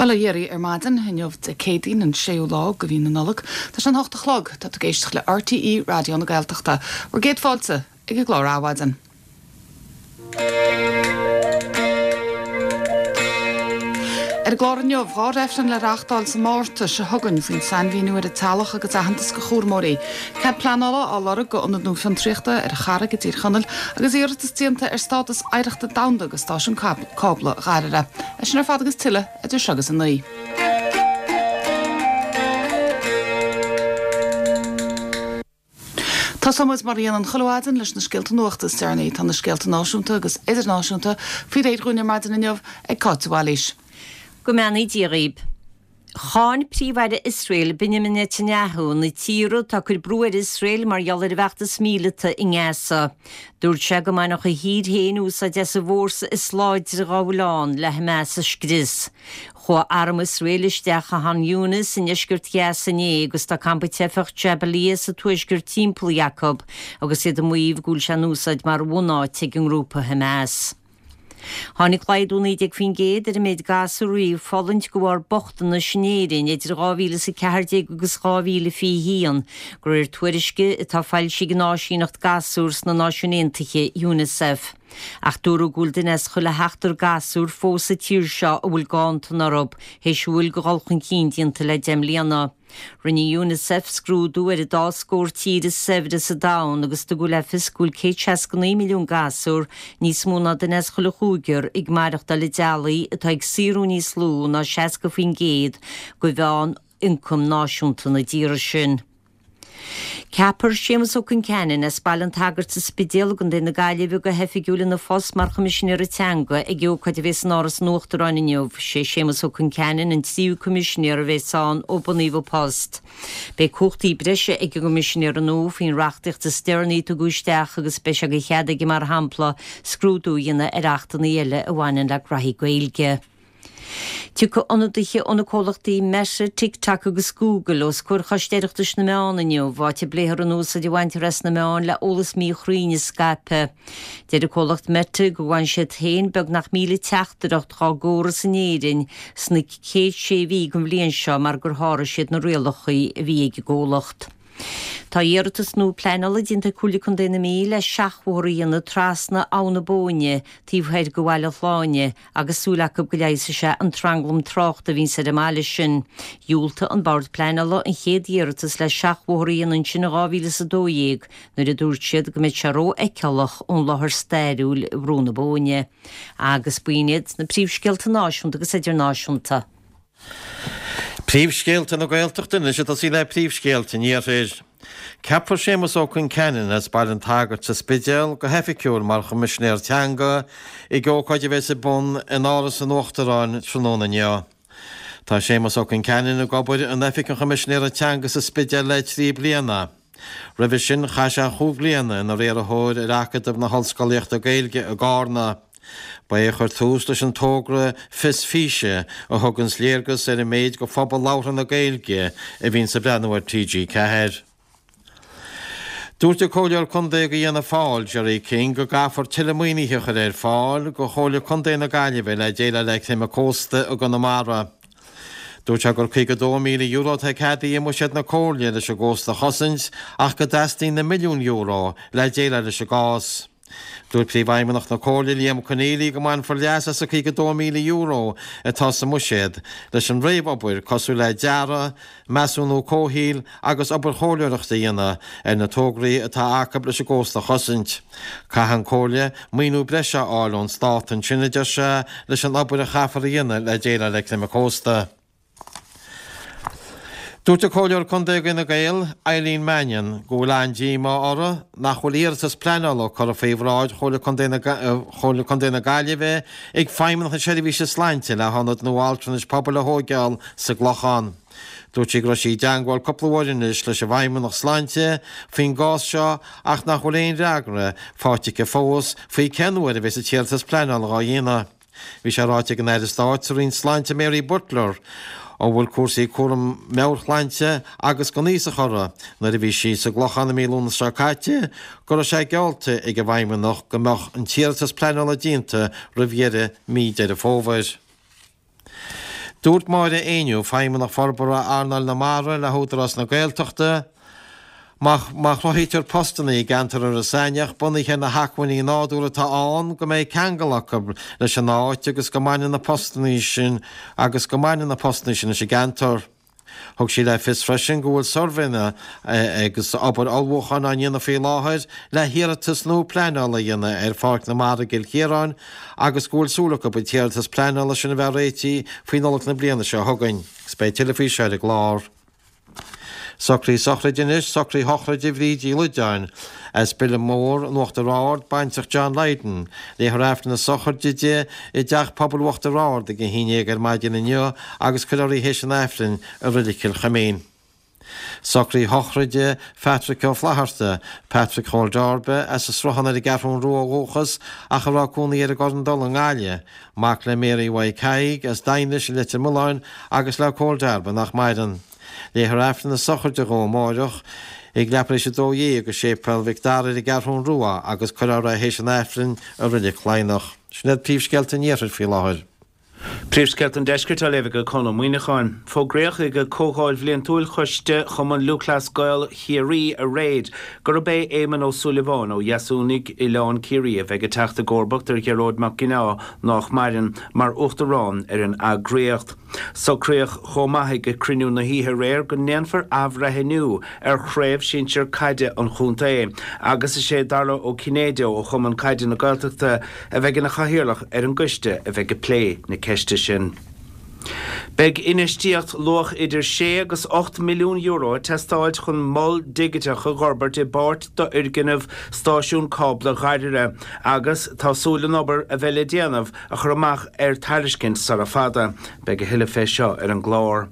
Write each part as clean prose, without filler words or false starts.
Bail ó Dhia oraibh ar maidin, inniu Dé Céadaoin, an séú lá de mhí na Nollag. Tá sé an hocht a chlog. Tá tú ag éisteacht le RTÉ Raidió na Gaeltachta. Bhur gcéad fáilte ag an gclár Adhmhaidin. Ar an gclár inniu, 2 reifreann le reachtáil sa Márta seo chugainn faoin sainmhíniú ar an teaghlach agus aitheantas do chúramóirí. Cead pleanála á lorg do ionad nua fiontraíochta ar an Charraig i dTír Chonaill agus iarratas déanta ar stádas oidhreachta domhanda do stáisiún cábla Dháirire. É sin ar fad agus tuilleadh idir seo agus a 9. Tosóidh muid mar a dhéanann chuile mhaidin leis na scéalta nuachta is deireanaí. Tá na scéalta náisiúnta agus idirnáisiúnta faoi réir dhúinn ar maidin inniu ag Cáit de Bhailís. Go mbeannaí Dia dhaoib. Cháin Príomh-Aire Iosrael, Benjamin Netanyahu, na tíortha atá ag cur brú ar Iosrael mar gheall ar a bhfeachtas míleata i nGaza. Dúirt sé go mbainfeadh a thír féin úsáid as an bhfórsa is láidre dá bhfuil ann le Hamas a scrios. Chuaigh arm Iosrael isteach i Khan Younis i ndeisceart Ghaza inné agus tá campa teifeach Jabalia sa tuaisceart timpeallaithe acu agus iad ag maíomh go bhfuil sé in úsáid mar bhunáit ag an ngrúpa Hamas. Tháinig laghdú 19% ar an méid gasúr a bhí ag fulaingt de bharr bochtanais in Éirinn idir 2014 agus 2021, de réir tuairisce atá foilsithe ag an áisíneacht gasúr sna Náisiúin Aontaithe, Unicef. Ach dúradh go bhfuil duine as chuile sheachtar gasúr fós sa tír seo a bhfuil ganntan orthu, théis a bhfuil de dhul chun cinn déanta le 10 mbliana. Rinne Unicef scrúdú ar an dá scór tír is saibhre sa domhan agus tugadh le fios go bhfuil 169 milliún gasúr, níos mó ná duine as chuile chúigear, ag maireachtáil i dteaghlaigh atá ag saothrú níos lú ná 60% de mheán ioncam náisiúnta na dtíortha sin. Ceapfar Séamus Ó Conceanainn as Baile an tSagairt sa Spidéal i gContae na Gaillimhe go hoifigiúil ina phost mar Choimisinéara Teanga ag ócáid a bheas in Áras an Uachtaráin inniu. Sé Séamus Ó Conceanainn an tríú Coimisinéir a bheas ann ó bunaíodh an post. Beidh cumhachtaí breise ag an gCoimisinéara nua faoin reachtaíocht is deireanaí a tugadh isteach agus beidh sé de chead aige mar shampla scrúdú a dhéanamh ar achtanna eile a bhaineann le graithí Gaeilge. Tiocfaidh ionadaithe ó na comhlachtaí Meta, TikTok agus Google os comhair Choiste Oireachtais na Meán inniu, áit a bpléifear an úsáid a bhaintear as na meáin le eolas míchruinn a scaipeadh. Deir an comhlacht Meta go bhfaigheann siad féin beagnach 1,000 teachtaireacht dhá gcóras in Éirinn sna chéad sé mhí den bhliain seo mar gur sháraigh siad na rialacha a bhí ag an gcomhlacht. Tá iarratas nua pleanála déanta ag Comhairle Contae na Mí le seachbhóthar a dhéanamh trasna Abha na Bóinne taobh thoir de Bhaile Shláine agus súil acu go leigheasfaidh sé an tranglam tráchta a bhíonns ar an mbaile sin. Dhiúltaigh an Bord Pleanála an chéad iarratas le seachbhóthar a dhéanamh ansin in 2012 nuair a dúirt siad go mbeadh sé rófheiceálach ón láthair stairiúil i Brú na Bóinne. Agus b'in iad na príomhscéalta náisiúnta agus idirnáisiúnta. Príomhscéalta na Gaeltachta anois ag tosaí le príomhscéalta an Iarthair. Ceapfar Séamus Ó Conceanainn as Baile an tSagairt sa Spidéal go hoifigiúil mar Choimisinéir Teanga ag ócáid a bheas ar bun in Áras an Uachtaráin tráthnóna inniu. Tá Séamus Ó Conceanainn ag obair in Oifig an Choimisinéara Teanga sa Spidéal le 3 bliana. Roimhe sin chaith sé chúig bliana ina riarthóir ar Acadamh na hOllscolaíochta Gaeilge i gCarna. Ba é a chuir tús leis an togra Fios Físe a thuganns léargas ar an méid de phobal labhartha na Gaeilge a bhíonns ag breathnú ar TG4. Dúirt an Comhairleoir Contae do Fhianna Fáil, Gerry King, go gcaithfear tuilleadh maoinithe a chur ar fáil do Chomhairle Contae na Gaillimhe le déileáil le creimeadh cósta i gConamara. Dúirt sé gur €52,000 atá ceadaithe i mbuiséad na Comhairle leis an gcósta a chosaint ach go dteastaíonn na milliúin euro le déileáil leis an gcás. Dúirt Príomhfheidhmeannach na Comhairle, Liam Conneely, go mbainfear leas as an €52,000 atá sa mbuiséad leis an réamhobair cosúil le dearadh, measúnú comhshaoil agus obair chomhairleoireachta a dhéanamh ar na tograí atá acu leis an gcósta a chosaint. Caithfidh an Comhairle maoiniú breise a fháil ón Stát ansin, a deir sé, leis an obair a chaithfear a dhéanamh le déileáil le creimeadh cósta. Dúirt an Comhairleoir Contae d'Fhine Gael, Eileen Mannion, go bhfuil an-díomá uirthi nach bhfuil iarratas pleanála curtha faoi bhráid Chomhairle Contae na Chomhairle Contae na Gaillimhe ag Feidhmeannacht na Seirbhíse Sláinte le hionad nua altranais pobail a thóigeáil sa gClochán. Dúirt sí go raibh sí i dteangmháil cúpla uair anois leis an bhFeidhmeannacht Sláinte faoin gcás seo ach nach bhfuil aon fhreagra faighte aici fós faoi cén uair a bheas an t-iarratas pleanála dhá dhéanamh. Bhí sé ráite ag an Aire Stáit sa Roinn Sláinte Mary Butler, a bhfuil cúrsaí cúram meabhairshláinte agus don aosach uirthi, nuair a bhí sí sa gClochán i mí Lúnasa seo caite, go raibh sé geallta ag an bhFeidhmeannacht go mbeadh an t-iarratas pleanála déanta roimh dheireadh mí Deireadh Fómhair. Dúirt Máire Éinniú, Feidhmeannach Forbartha Earnáil na Mara le hÚdarás na Gaeltachta, Má chruthaítear postanna i gceantar Iorras Aithneach bunaithe ar na hacmhainní nádúrtha atá ann, go mbeidh ceangal acu leis an áit agus go mbaineann na postanna sin agus go mbaineann na postanna sin leis an gceantar. Thug sí le fios freisin go bhfuil suirbhéanna agus obair ullmhúcháin á ndéanamh faoi láthair le hiarratas nua pleanála a dhéanamh ar Pháirc na Mara i gCill Chiaráin agus go bhfuil súil acu an t-iarratas pleanála sin a bheith réitithe faoi Nollaig na bliana seo chugainn. Agus beidh tuilleadh faoi seo ar an gclár. Socruithe sochraide anois, socruithe sochraide Bhríd Uí Loideáin as Bileadh Mór in Uachtar Ard, baintreach John Lydon. Léifear Aifreann na sochraide di i dTeach Pobail Uachtar Ard ag a haon dhéag ar maidin inniu agus cuirfear í théis an Aifrinn i Reilig Chill Chuimín. Socruithe sochraide Phatrick Ó Flatharta, Patrick Chóil Darbe, as an Sruthán ar an gCeathrún Rua ó dhúchas ach a raibh cónaí air i gCorr an Dola i nGaillimh, Mac le Mary Mhaidhc Thaidhg as Daighinis i Leitir Mealláin agus le Cóil Darbe nach maireann. Léifear Aifreann na sochraide dhó amáireach ag leathuair théis 12 i Séipéal Mhic Dara ar an gCeathrún Rua agus cuirfear é théis an Aifrinn i Reilig Laighneach. Sin iad príomhscéalta an Iarthair faoi láthair. Príomhscéalta an Deiscirt á léamh ag Conn Ó Muíneacháin. Fógraíodh ag Comhdháil Bhliantúil Choiste Chumann Lúthchleas Gael Chiarraí aréir gurb é Éamonn Ó Súilleabháin ó Dheasúnaigh, Oileán Ciarraí a bheidh ag teacht i gcomharbacht ar Ghearóid Mac Ginneá, nách maireann, mar Uachtarán ar an eagraíocht. Socraíodh chomh maith ag cruinniú na hoíche aréir go ndéanfar athbhreithniú ar chraobh shinsir caide an chontae agus is é Dara Ó Cinnéide ó Chumann Caide na Gaeltachta a bheidh ina chathaoirleach ar an gcoiste a bheidh ag plé na ceiste sin. Beidh infheistíocht luach idir sé agus €8 milliún ag teastáilt chun mol digiteach a dh'fhorbairt i bpáirt d'fhoirgneamh stáisiún cábla Dhoire agus tá súil an obair a bheidh le déanamh a chur amach ar tairiscint sara fada. Beidh a thuilleadh fé seo ar an gclár.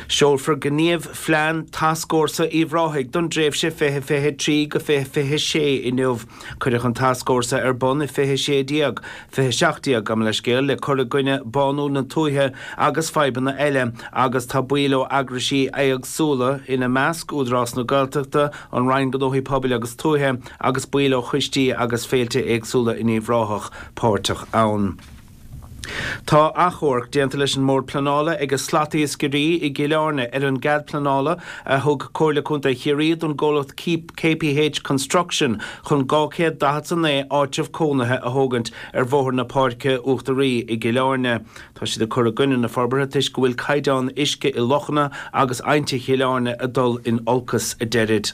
Seolfar gníomhphlean Tascfhórsa Uíbh Ráthaigh don dtréimhse 2023-2026 inniu. Cuireadh an Tascfhórsa ar bun i 2016, 2017 gabh mo leithscéal, le cur i gcoinne bánú na tuaithe agus fadhbanna eile agus tá baill ó eagraisí éagsúla, ina measc Údarás na Gaeltachta, an Roinn Gnóthaí Pobail agus Tuaithe agus baill ó choistí agus féilte éagsúla in Uíbh Ráthach, páirteach ann. Tá achomharc déanta leis an mBord Pleanála ag slatiascairí i gCill Airne ar an gcead pleanála a thug Comhairle Contae Chiarraí don gcomhlacht KPH Construction chun 249 áitreabh cónaithe a thógaint ar Bhóthar na Páirce Uachtaraí i gCill Airne. Tá siad ag cur i gcoinne na forbartha toisc go bhfuil caighdeán uisce i lochanna agus aibhneacha Chill Airne ag dul in olcas, a deirid.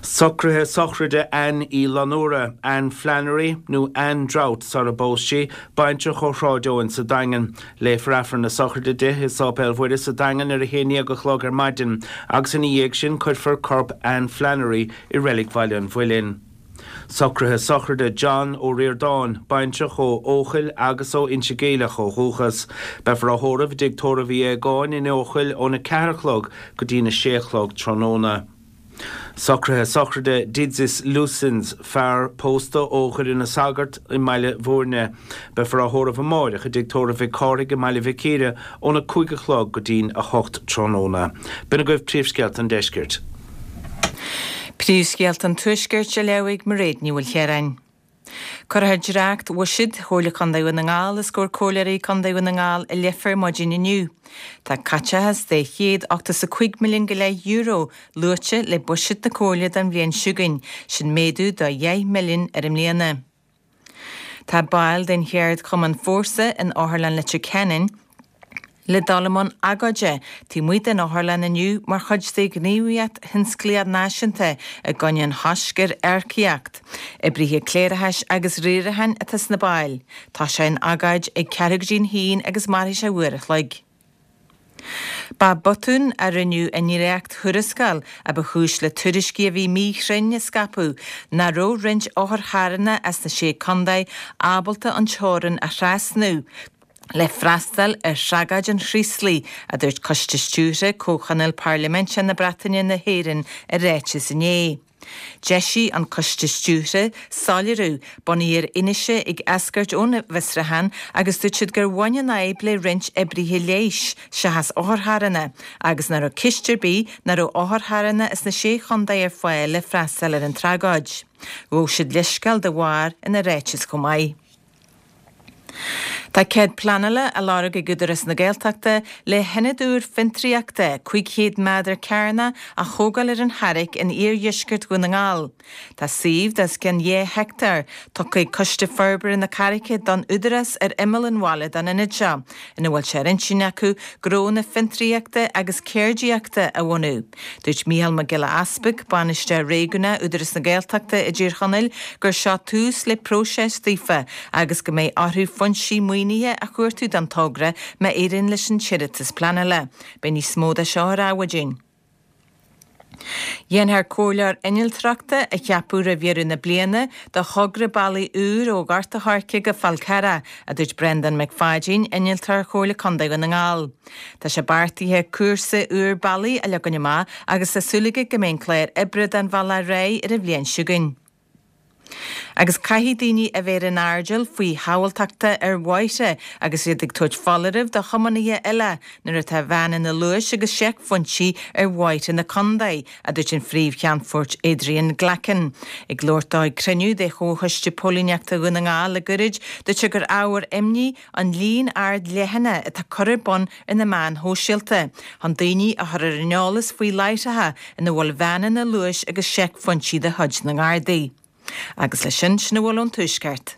Socruithe sochraide Anne Uí Fhlannúra, Anne Flannery nó Anne Drought sara bpós sí, baintreach ó Shráid Eoin sa Daingean. Léifear Aifreann na sochraide di i Sáipéal Mhuire sa Daingean ar a haon dhéag a chlog ar maidin agus ina dhiaidh sin cuirfear corp Anne Flannery i Reilig Bhaile an Mhuilinn. Socruithe sochraide John Ó Ríordáin, baintreach ó Eochaill agus ó Inse Geimhleach ó dhúchas. Beifear á thórramh i dTigh Tórraimh Uí Aogáin in Eochaill óna 4 a chlog go dtína 6 a chlog tráthnóna. Socruithe sochraide Didzis Lusins, fear pósta ó Dhoire na Sagart i mBaile Bhúirne. Beifear á thórramh amáireach i dTigh Tórraimh Mhic Cárthaigh i mBaile Mhic Íre óna 5 a chlog go dtí'n 8 tráthnóna. B'in agaibh príomhscéalta an deiscirt. Príomhscéalta an Tuaiscirt á léamh ag Mairéad Ní Mhaoilchiaráin. Cuirfear dréacht bhuiséad Chomhairle Contae Dhún na nGall os comhair Comhairleoirí Contae Dhún na nGall i Leifear maidin inniu. Tá caiteachas de €185 milliún go leith euro luaite le buiséad na Comhairle don bhliain seo chugainn, sin méadú de dheich milliún ar i mbliana. Tá baill den cheardchumann Fórsa in Otharlann Leitir Ceanainn le dul i mbun agóide taobh amuigh den otharlann inniu mar chuid de ghníomhaíocht thionsclaíoch náisiúnta i gcoinne an choisc ar earcaíocht. Oibrithe cléireachais agus riaracháin atá sna baill. Tosóidh an agóid ag ceathrú go dtí'n haon agus mairfidh sé uair a chloig. Ba botún a rinneadh i ndréacht-thuarascáil a ba chúis le tuairiscí a bhí míchruinn a scaipeadh nach raibh roinnt otharcharranna as na Sé Contae ábalta an teorainn a thrasnú le freastal ar thragóid an Chraoslaigh, a dúirt Coiste Stiúrtha Comhthionól Parlaiminteach na Breataine-na hÉireann i ráiteas inné. D'eisigh an Coiste Stiúrtha soiléiriú, bunaithe ar fhianaise ag eascairt ón bhfiosrúchán agus dúirt siad gur bhain an fhadhb le roinnt oibrithe leighis seachas otharcharranna agus nach raibh ceist ar bith nach raibh otharcharranna as na Sé Chontae ar fáil le freastal ar an tragóid. Ghabh siad leithscéal dá bharr ina ráiteas chomh maith. Tá cead pleanála á lorg ag Údarás na Gaeltachta le hionad úr fiontraíochta 500 méadar cearnach a thógáil ar an Charraic in iardheisceart Dhún na nGall. Tá suíomh de os cionn 2 heicteár tugtha ag Coiste Forbartha na Carraice don Údarás ar imeall an bhaile don ionad seo, ina bhfuil sé ar intinn acu gnónna fiontraíochta agus ceardaíochta a bhunú. Dúirt Mícheál Mac Giolla Easpaig, Bainisteoir Réigiúnach Údarás na Gaeltachta i dTír Chonaill, gur seo tús le próiseas daofa agus go mbeidh orthu foinsí maoinithe a chuartú don togra má éiríonn leis an t-iarratas pleanála. Beidh níos mó de seo ar Adhmhaidin. Dhéanfar comhairleoir innealtóireachta a cheapadh roimh dheireadh na bliana do thogra bealaigh úr ó Ghort a' Choirce go Fál Carrach, a dúirt Breandán Mac Pháidín, Innealtóir Chomhairle Contae Dhún na nGall. Tá sé beartaithe cúrsa úr bealaigh a leagan amach agus tá súil aige go mbeidh an clár oibre don bhealach réidh ar an bhliain seo chugainn. Agus caithfidh daoine a bheith ar an airdeall faoi shábháilteachta ar bhóithre agus iad ag tabhairt foláirimh do thiománaithe eile nuair atá veaineanna luais agus seicphointí ar bhóithre na contae, a dúirt an Phríomh-Cheannfort Adrian Glackin. Ag labhairt dó ag cruinniú de Chomhchoiste Póilíneachta Dhún na nGall le goirid, dúirt sé gur ábhar imní an líon ard leathanach atá curtha ar bun ar na meáin shóisialta chun daoine a chur ar an eolas faoi láithreacha ina bhfuil veaineanna luais agus seicphointí de chuid na nGardaí. Agus leis sin, sin a bhfuil ón Tuaisceart.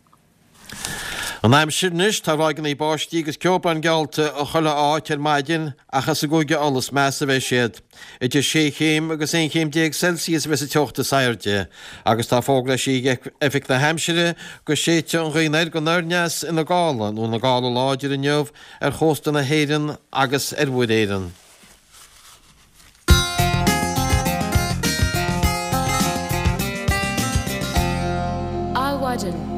An aimsir anois, tá ráigeanna báistí agus ceobhrán geallta i chuile áit ar maidin ach is i gCúige Uladh is measa a bheidh siad. Idir sé chéim agus 11 chéim Celsius a bheas an teocht is airde agus tá fógra eisithe ag Oifig na hAimsire go séidfidh an ghaoth anoir go anoir-aneas ina gála nó ina gála láidir inniu ar chósta na hÉireann agus ar Mhuir Éireann. Adhmhaidin.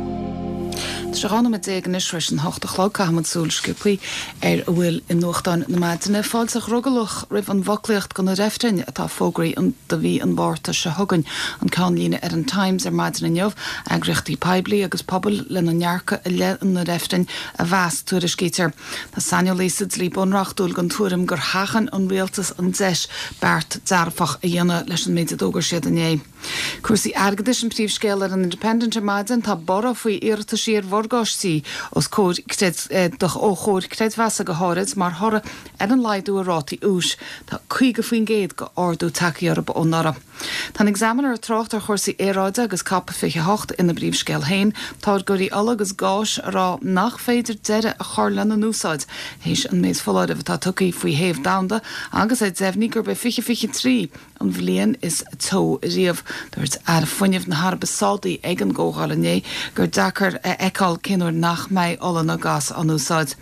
Tá sé 12 nóiméad anois tar éis an hocht a chlog. Caithfimid súil sciobthaí ar a bhfuil i nuachtáin na maidine. Fáilte dhrogallach roimh an bhfoclaíocht do na reifrinn atá fógraithe do mhí an Mhárta seo chugainn. An ceannlíne ar an Times ar maidin inniu. Eagraíochtaí poiblí agus pobail lena ndearcadh i leith na reifrinn a mheas, tuairiscítear. Tá saineolaí sa dlí bunreachtúil den tuairim gur sheachain an rialtas an deis beart dearfach a dhéanamh leis an méid a d'fhógair siad inné. Cúrsaí airgeadais an príomhscéal ar an Independent ar maidin. Tá borradh faoi iarrataisí ar mhorgáistí os comhair ó chomhair creidmheasa go háirid mar thoradh ar an laghdú ar rátaí úis. Tá 50% d'ardú tagtha orthu ó anuraidh. Tá an Examiner ag trácht ar chúrsaí aeráide agus Cop 28 ina bpríomhscéal féin, táirgeoirí ola agus gáis a rá nach féidir deireadh a chur lena n-úsáid théis an méid foláireamh atá tugtha faoi théamh domhanda agus é deimhnithe gurb é 2023 an bhliain is teo riamh. Dúirt Aire Fuinnimh na hAraibe Sádaí ag an gcomhdháil inné gur deacair a fheiceáil cén uair nach mbeidh ola ná gás á n-úsáid.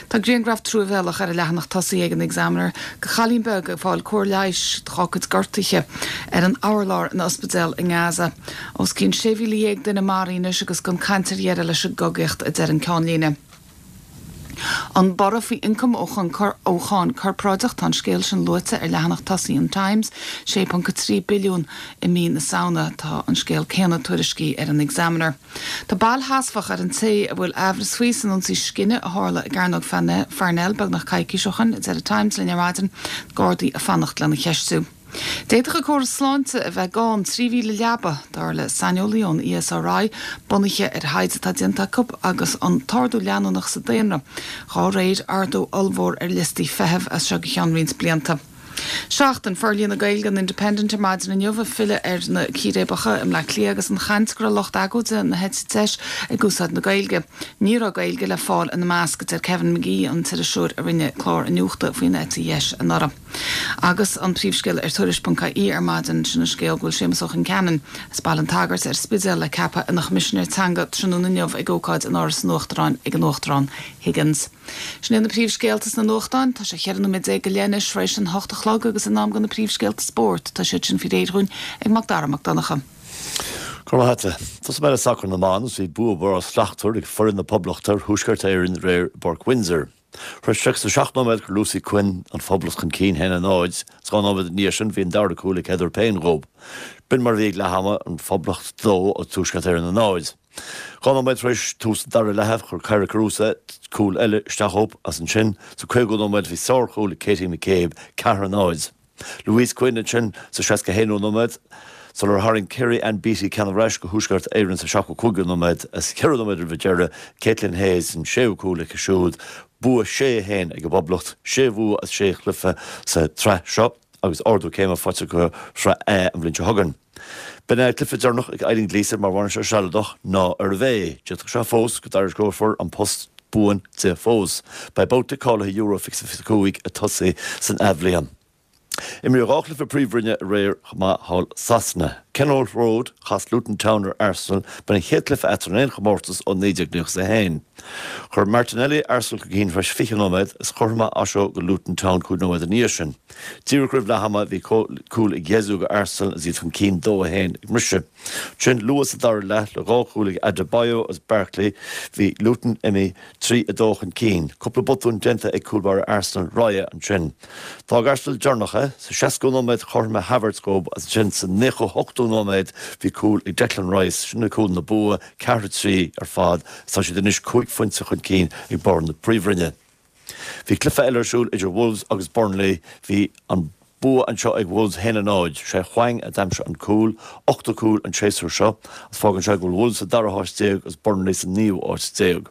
Tá grianghraf truamhéalach ar an leathanach tosaigh ag an Examiner de chailín beag ag fáil cóir leighis dá cuid gortuithe ar an urlár in ospidéal i nGaza. Os cionn 16,000 duine maraithe anois agus gan caint ar dheireadh leis an gcogaíocht, a deir an ceannlíne. An borradh faoi ioncam ó cháin corparáideach, tá an scéal sin luaite ar leathanach tosaigh an Times, 6.3 billiún i mí na Samhna. Tá an scéal céanna tuairiscithe ar an Examiner. Tá bail sheasmhach ar an té a bhfuil aimhreas faoi san ionsaí scine a tharla i gCearnóg Pharnell beagnach coicís ó shin, a deir an Times linn ar maidin, Gardaí ag fanacht lena cheistiú. D'fhéadfadh an córas sláinte a bheith gann 3,000 leaba, dar le saineolaí ón ESRI, bunaithe ar thaighde atá déanta acu agus an t-ardú leanúnach sa daonra, dhá réir ardú ollmhór ar liostaí feithimh as seo go ceann roinnt blianta. Seachtain Forlíonadh Gaeilge an Independent ar maidin inniu ag filleadh ar na círéibeacha i mBleá Cliath agus an chaint go raibh lucht agóide na heite deis ag úsáid na Gaeilge. Ní raibh Gaeilge le fáil ina measc, a deir Kevin Magee, an t-iriseoir a rinne clár iniúchta faoin eite dheis anuraidh. Agus an príomhscéal ar Tuairisc.ie ar maidin, sin an scéal go bhfuil Séamus Ó Concheanainn as Baile an tSagairt ar Spidéal le ceapadh ina Choimisinéir Teanga tráthnóna inniu ag ócáid in Áras an Uachtaráin ag an Uachtarán Higgins. Sin iad na príomhscéalta sna nuachtáin. Tá sé 14 nóiméad go leith anois tar éis an hocht a chlog agus in am do na príomhscéalta spóirt. Tá siad sin faoi réir dhúinn ag Mac Dara Mac Donncha. Go raibh maith agat. Tosóidh mé le sacar na mban agus bhí bua breá slachtmhar ag foireann na Poblachta ar Thuaisceart Éireann aréir i bPáirc Windsor. Tar éis 37 nóiméad chuir Lucy Quinn an Phoblacht chun cinn 1-0 agus 2 nóiméad ina dhiaidh sin bhí an dara cúl ag Heather Payne dhób. B'in mar a bhí ag leath ama, an Phoblacht 2, Tuaisceart Éireann 0. 2 nóiméad tar éis tús an dara leatha, chuir Kyra Carusa cúl eile isteach dhób agus ansin sa 50ú nóiméad bhí sárchúl ag Katie McCabe, 4-0. Louise Quinn ansin sa 61ú nóiméad. sular tharraing Kerry Ann Beattie ceann ar ais go Thuaisceart Éireann sa 75ú nóiméad is ceithre nóiméad roimh an deireadh, Caitlin Hayes an séú cúl aici siúd. Bua 6, 1 ag an bPoblacht, sé bhua as sé chluiche sa tsraith seo agus ardú céime faighte acu Sraith A an bhliain seo chugainn. B'in é an cluiche deireanach ag Eileen Gleeson mar bhainisteoir sealadach, nárbh é. D'fhéadfadh sé fós go dtairisceofar an post buan di fós. Beidh babhta cáilithe Euro 2025 ag tosaí san athbhliain. Imríodh 2 chluiche Príomhroinne aréir chomh maith thall Sasana. Kenilworth Road, chas Luton Town ar Arsenal, b'in an chéad chluiche eatarthu in aon chomórtas ó 1991. Chuir Martinelli Arsenal chun cinn tar éis 20 nóiméad is chothromaigh Osho go Luton Town 5 nóiméad ina dhiaidh sin. Díreach roimh leath ama bhí cúl ag Jesus go Arsenal agus iad chun cinn 2, 1 ag mbriseadh. Ansin luath sa dara leath le dhá chúl ag Adebayo agus Barkley bhí Luton imithe 3, 2 chun cinn. Cúpla botún déanta ag cúl báire Arsenal, Raya, ansin. D'fhág Arsenal deireanach é. Sa 60ú nóiméad chothromaigh Havertz dóibh agus ansin sa 98ú nóiméad bhí cúl ag Declan Rice, sin é cúl na bua, 4, 3 ar fad agus tá siad anois cúig phointe chun cinn ag barr na Príomhroinne. Bhí cluiche eile ar siúl idir Wolves agus Burnley. Bhí an bua anseo ag Wolves 1, 0. Sé Hwang a d'aimsigh an cúl, ochtú cúl an séasúr seo, agus fágann sé go bhfuil Wolves sa dara háit déag agus Burnley sa naoú háit déag.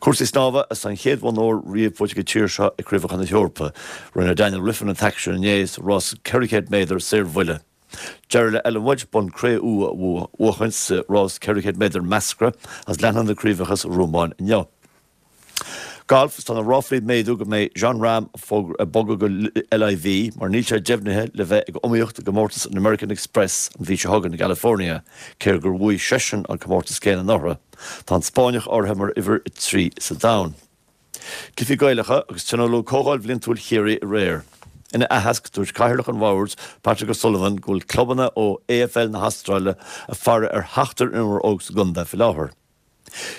Cúrsaí snámha, is an chéad bhonn óir riamh buaite ag an tír seo ag Craobhacha na hEorpa. Rinne Daniel Wiffen an t-aicsean inné sa rás 400 méadar saorbhuille. D'éirigh le Ellen Wudge bonn cré-umha a bhuachaint sa rás 400 méadar measctha agus leanfaidh na craobhacha sa Rómáin inniu. Galf, Tá na ráflaí ag méadú go mbeidh Jon Rahm ag bogadh go LIV mar níl sé deimhnithe le bheith ag iomaíocht i gcomórtas an American Express an mhí seo chugainn i gCalifornia, cé gur bhuaigh seisean an comórtas céanna anuraidh. Tá an Spáinneach áirithe mar uimhir 3 sa domhan. Cluichí Gaelacha agus tionóladh Comhdháil Bhliantúil Chiarraí aréir. Ina aitheasc, dúirt Cathaoirleach an Bhoird, Patrick O'Sullivan, go bhfuil clubanna ó AFL na hAstráile ag faire ar sheachtar imreoir óg sa gcontae faoi láthair.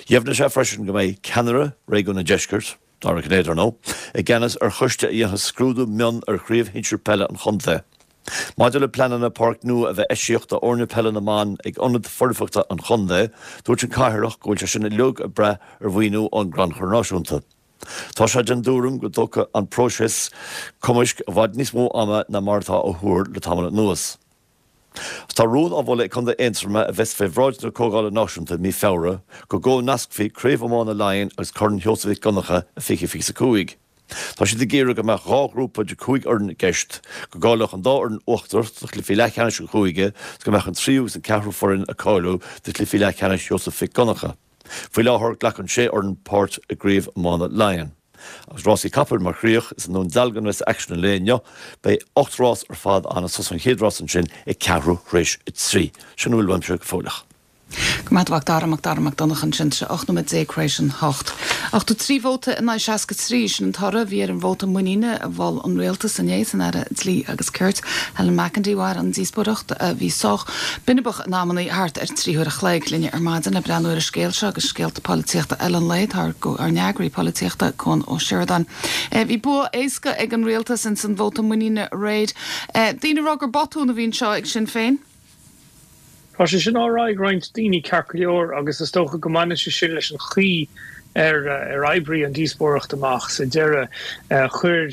Dheimhnigh sé freisin go mbeidh ceannaire Réigiún an Deiscirt, Dara Cinnéide ar ndóigh, i gceannas ar choiste a dhéanfaidh scrúdú mion ar chraobh shinsir peile an chontae. Maidir le pleananna páirc nua a bheith eisíoch d'fhoirne peile na mban ag ionad foirfeachta an chontae, dúirt an Cathaoirleach go bhfuil sé sin uilig ag brath ar mhaoiniú ón gCrannchur Náisiúnta. Tá sé den dtuairim go dtógfaidh an próiseas cumaisc i bhfad níos mó ama ná mar atá á thuar le tamall anuas. Tá rún á mholadh ag Contae Aontroma a bheas fé bhráid na Comhdhála Náisiúnta i mí Feabhra go gcomhnascfaí Craobh Iomána Laighean agus Corn Sheosaimh Mhic Dhonncha i 2025. Tá siad ag iarraidh go mbeadh dhá ghrúpa de 5 fhoireann i gceist, go gcáileodh an dá fhoireann uachtarach do chluichí leathcheannais an chúige agus go mbeadh an tríú agus an ceathrú foireann ag cáiliú do chluichí leathcheannais Sheosaimh Mhic Dhonncha. Faoi láthair, glacann sé fhoireann páirt i gCraobh Iomána Laighean. Agus rásaí capaill mar chríoch, is i nDún Dealgan a bheas aicsean an lae inniu. Beidh 8 rás ar fad ann agus tosóidh an chéad rás ansin ag ceathrú th'réis a trí. Sin a bhfuil uaimse go fóilleach. Go raibh maith agat a Mhac Dara, Mac Dara Mac Donncha ansin, tá sé 18 nóiméad thar éis an hocht. 83 vóta in aghaidh 63, sin an toradh a bhí ar an vóta muiníne a mhol an Rialtas inné san Aire Dlí agus Cirt, Helen McEntee. Mhair an díospóireacht, a bhí sách binibeach in amannaí, thart ar 3 huair a chloig. Linne ar maidin le breathnú ar an scéal seo agus scéalta polaitíochta eile an lae, tá ár n-eagraí polaitíochta, Cuan Ó Seireadáin. Bhí bua éasca ag an Rialtas ins an vóta muiníne aréir. Daoine ag rá gur botún a bhí anseo ag Sinn Féin. Tá sé sin á rá ag roinnt daoine, ceart go leor, agus is dócha go mbaineann sé sin leis an chaoi ar ar oibrigh an díospóireacht amach sa deireadh. Chuir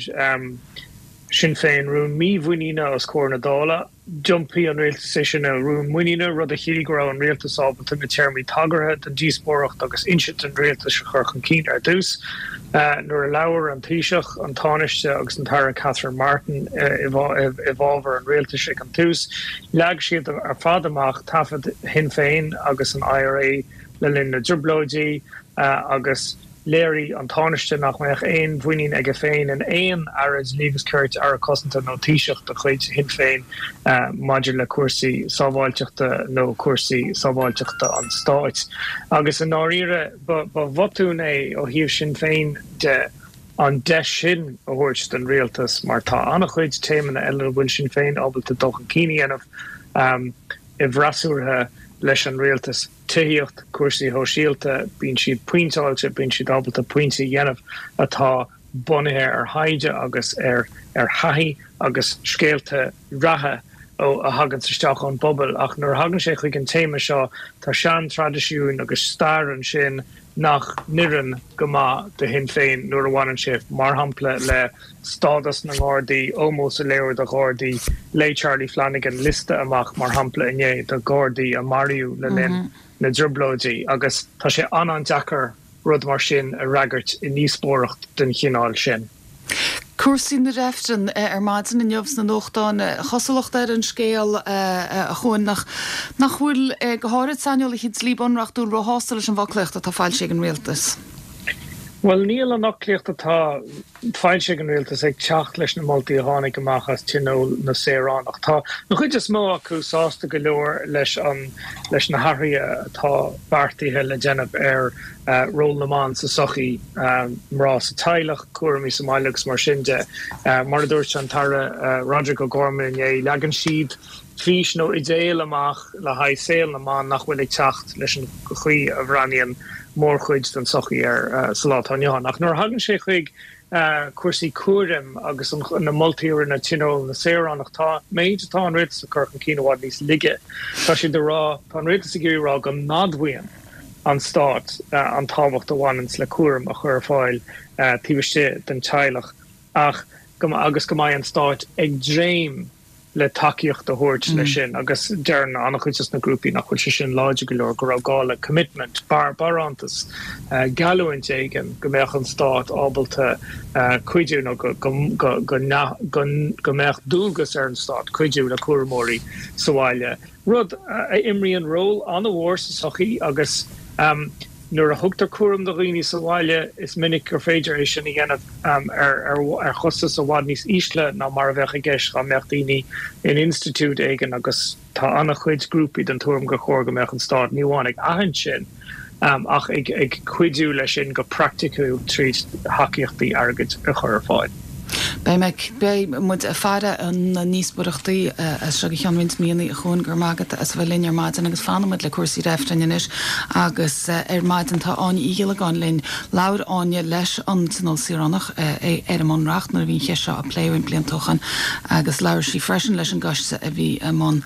Sinn Féin rún mímhuiníne os comhair na Dála. D'iompaigh an rialtas é sin ina rún muiníne, rud a chiallaigh go raibh an rialtas ábalta na téarmaí tagartha don díospóireacht agus insint an rialtais a chur chun cinn ar dtús. Nuair a labhair an Taoiseach, an Tánaiste agus an tAire Catherine Martin i bhfabhar an rialtais ag an tús, leag siad ar fad amach taifead Shinn Féin agus an IRA le linn na dTrioblóidí agus Léirigh an Tánaiste nach mbeadh aon mhuinín aige féin in aon Aire Dlí agus Cirt, Aire Cosanta nó Taoiseach de chuid Shinn Féin maidir le cúrsaí sábháilteachta nó cúrsaí sábháilteachta an stáit. Agus i ndáiríre, ba bhotún é ó thaobh Shinn Féin de an deis sin a thabhairt don rialtas mar tá an-chuid téamanna eile a bhfuil Sinn Féin ábalta dul chun cinn a dhéanamh i bhfreasúra leis an rialtas. tithíocht, cúrsaí shóisialta, bíonn siad pointeáilte, bíonn siad ábalta pointí a dhéanamh atá bunaithe ar thaighde agus ar ar thaithí agus scéalta reatha. a thaganns isteach ón bpobal ach nuair a thagann sé chuig an téama seo tá sean-traidisiúin agus stair ansin nach n-oireann go maith do Shinn Féin nuair a bhaineann sé, mar shampla, le stádas na nGardaí, ómós a léiriú do Ghardaí. Léigh Charlie Flanagan liosta amach, mar shampla, inné de Ghardaí a maraíodh le linn na dTrioblóidí agus tá sé an-an-deacair rud mar sin a fhreagairt i ndíospóireacht den chineál sin. Cúrsaí na reifreann ar maidin inniu sna nuachtáin. Cosúlacht ar an scéal, a Chuain, nach nach bhfuil, go háirid saineolaithe dlí bunreachtúil, róshásta leis an bhfoclaíocht atá foilsithe ag an rialtas. Bhuel, níl an fhoclaíocht atá foilsithe ag an rialtas ag teacht leis na moltaí a tháinig amach as Tionól na Saoránach. Tá an chuid is mó acu sásta go leor leis an leis na hathruithe atá beartaithe le déanamh ar ról na mban sa tsochaí, mná sa teaghlach, cúraimí sa mbaile agus mar sin de. Mar a dúirt an tAire Roderic O'Gorman inné, leagann siad fís nó idéal amach le haghaidh saol na mban nach bhfuil ag teacht leis an chaoi a bhreathnaíonn mórchuid den tsochaí air sa lá atá inniu ann. Ach nuair a thagann sé chuig cúrsaí cúraim agus na moltaí a rinne Tionól na Saoránach, tá an méid atá an rialtas ag cur chun cinn i bhfad níos laige. Tá siad ag rá, tá an rialtas ag iarraidh a rá go n-admhaíonn an stát an tábhacht a bhaineanns le cúram a chur ar fáil taobh istigh den teaghlach ach go agus go mbeidh an stát ag dréim le tacaíocht a thabhairt leis sin agus deireann an-chuid des na grúpaí nach bhfuil sé sin láidir go leor, go raibh gá le commitment, barántas, geallúint éigin go mbeadh an stát ábalta cuidiú nó go go mbeadh dualgas ar an stát cuidiú le cúramóirí sa bhaile. rud a imríonn ról an-mhór sa tsochaí agus nuair a thugtar cúram do dhaoine sa bhaile, is minic gur féidir é sin a dhéanamh ar chostas i bhfad níos ísle ná mar a bheadh i gceist dá mbeadh daoine in institiúid éigin agus tá an-chuid grúpaí den tuairim gur chóir go mbeadh an stát ní amháin ag aithint sin ach ag cuidiú leis sin go praiticiúil tríd thacaíochtaí airgid a chur ar fáil. Beidh mé, beidh muid ag faire na ndíospóireachtaí as seo go ceann roinnt míonna a Chuain, go raibh maith agat as a bheith linn ar maidin agus fanfaidh muid le cúrsaí reifrinn anois agus ar maidin tá Áine Uí Ghiollagáin linn. Labhair Áine leis an Tionól Saoránach ar an mBunreacht nuair a bhí an cheist seo á plé roinnt blianta ó shin agus labhair sí freisin leis an gcoiste a bhí i mbun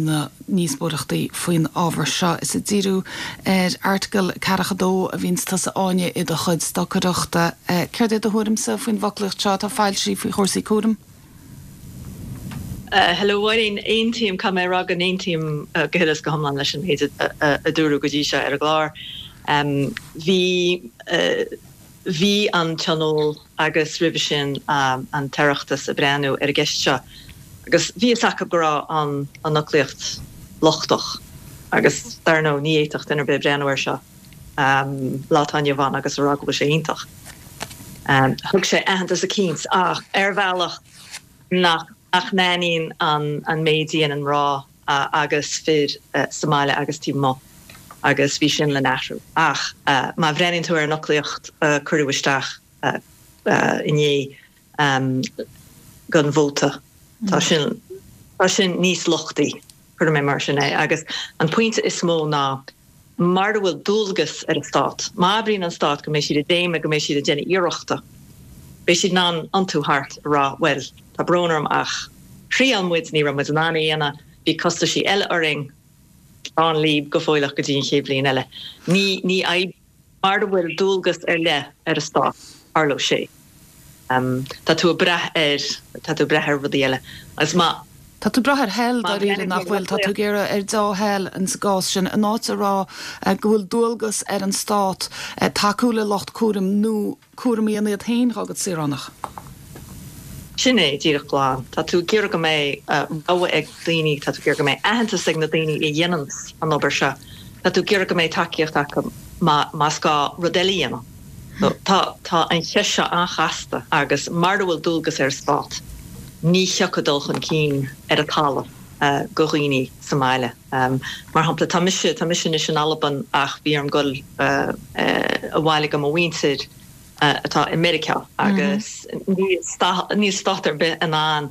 na ndíospóireachtaí faoin ábhar seo. Is ag díriú ar Airteagal 42 a bhíonns tusa Áine i do chuid stocaireachta. Céard é do thuairimse faoin bhfoclaíocht seo atá foilsithe faoi chúrsaí cúraim? Hello Mháirín, aontaím, caithfidh mé a rá go n-aontaím go huile is go hiomlán leis an méid a dúradh go dtí seo ar an gclár. Bhí, bhí an Tionól agus roimhe sin an tOireachtas ag breathnú ar an gceist seo agus bhí fhios acu go raibh an an fhoclaíocht lochtach agus dar ndóigh ní fhéadfadh duine ar bith breathnú air seo lá atá inniu ann agus a rá go bhfuil sé iontach. Thug sé aitheantas eicínt ach ar bhealach nach nach n-aithníonn an an méid a dhéanann mná agus fir sa mbaile agus taobh amuigh agus bhí sin le n-athrú. Ach má bhreathnaíonn tú ar an fhoclaíocht a cuireadh isteach inné don vóta, tá sin, tá sin níos lochtaí, cuirfidh mé mar sin é. Agus an pointe is mó ná mara bhfuil dualgas ar an stát, má abraíonn an stát go mbeidh siad ag dréim, go mbeidh siad ag déanamh iarrachta, beidh siad in ann iontú thart a rá, bhuel, tá brón orm ach thriail muid, ní raibh muid in ann a dhéanamh, bhí costaisí eile orainn, slán libh go fóilleach go dtí an chéad bhliain eile. Ní, ní oibríonn, mara bhfuil dualgas ar leith ar an stát, tarlóidh sé. Tá tú ag brath ar, tá tú ag brath ar rudaí eile. Agus má. Tá tú ag brath ar thoil, dáiríre, nach bhfuil? Tá tú ag iarraidh ar dea-thoil insa gcás sin, in áit a rá go bhfuil dualgas ar an stát tacú le lucht cúraim nó cúram a dhéanamh iad féin dhá gcuid saoránach. Sin é, díreach glan. Tá tú ag iarraidh go mbeidh rogha ag daoine, tá tú ag iarraidh go mbeidh aitheantas ag na daoine a dhéananns an obair seo, tá tú ag iarraidh go mbeidh tacaíocht acu más gá rud eile a dhéanamh. Tá tá an cheist seo an-chasta agus mara bhfuil dualgas ar an stát, ní thiocfaidh dul chun cinn ar an talamh go dhaoine sa mbaile. Mar shampla, tá mise tá mise anois in Albain ach bhí orm dul abhaile go mo mhuintir atá i Meiriceá agus níl níl stát ar bith in ann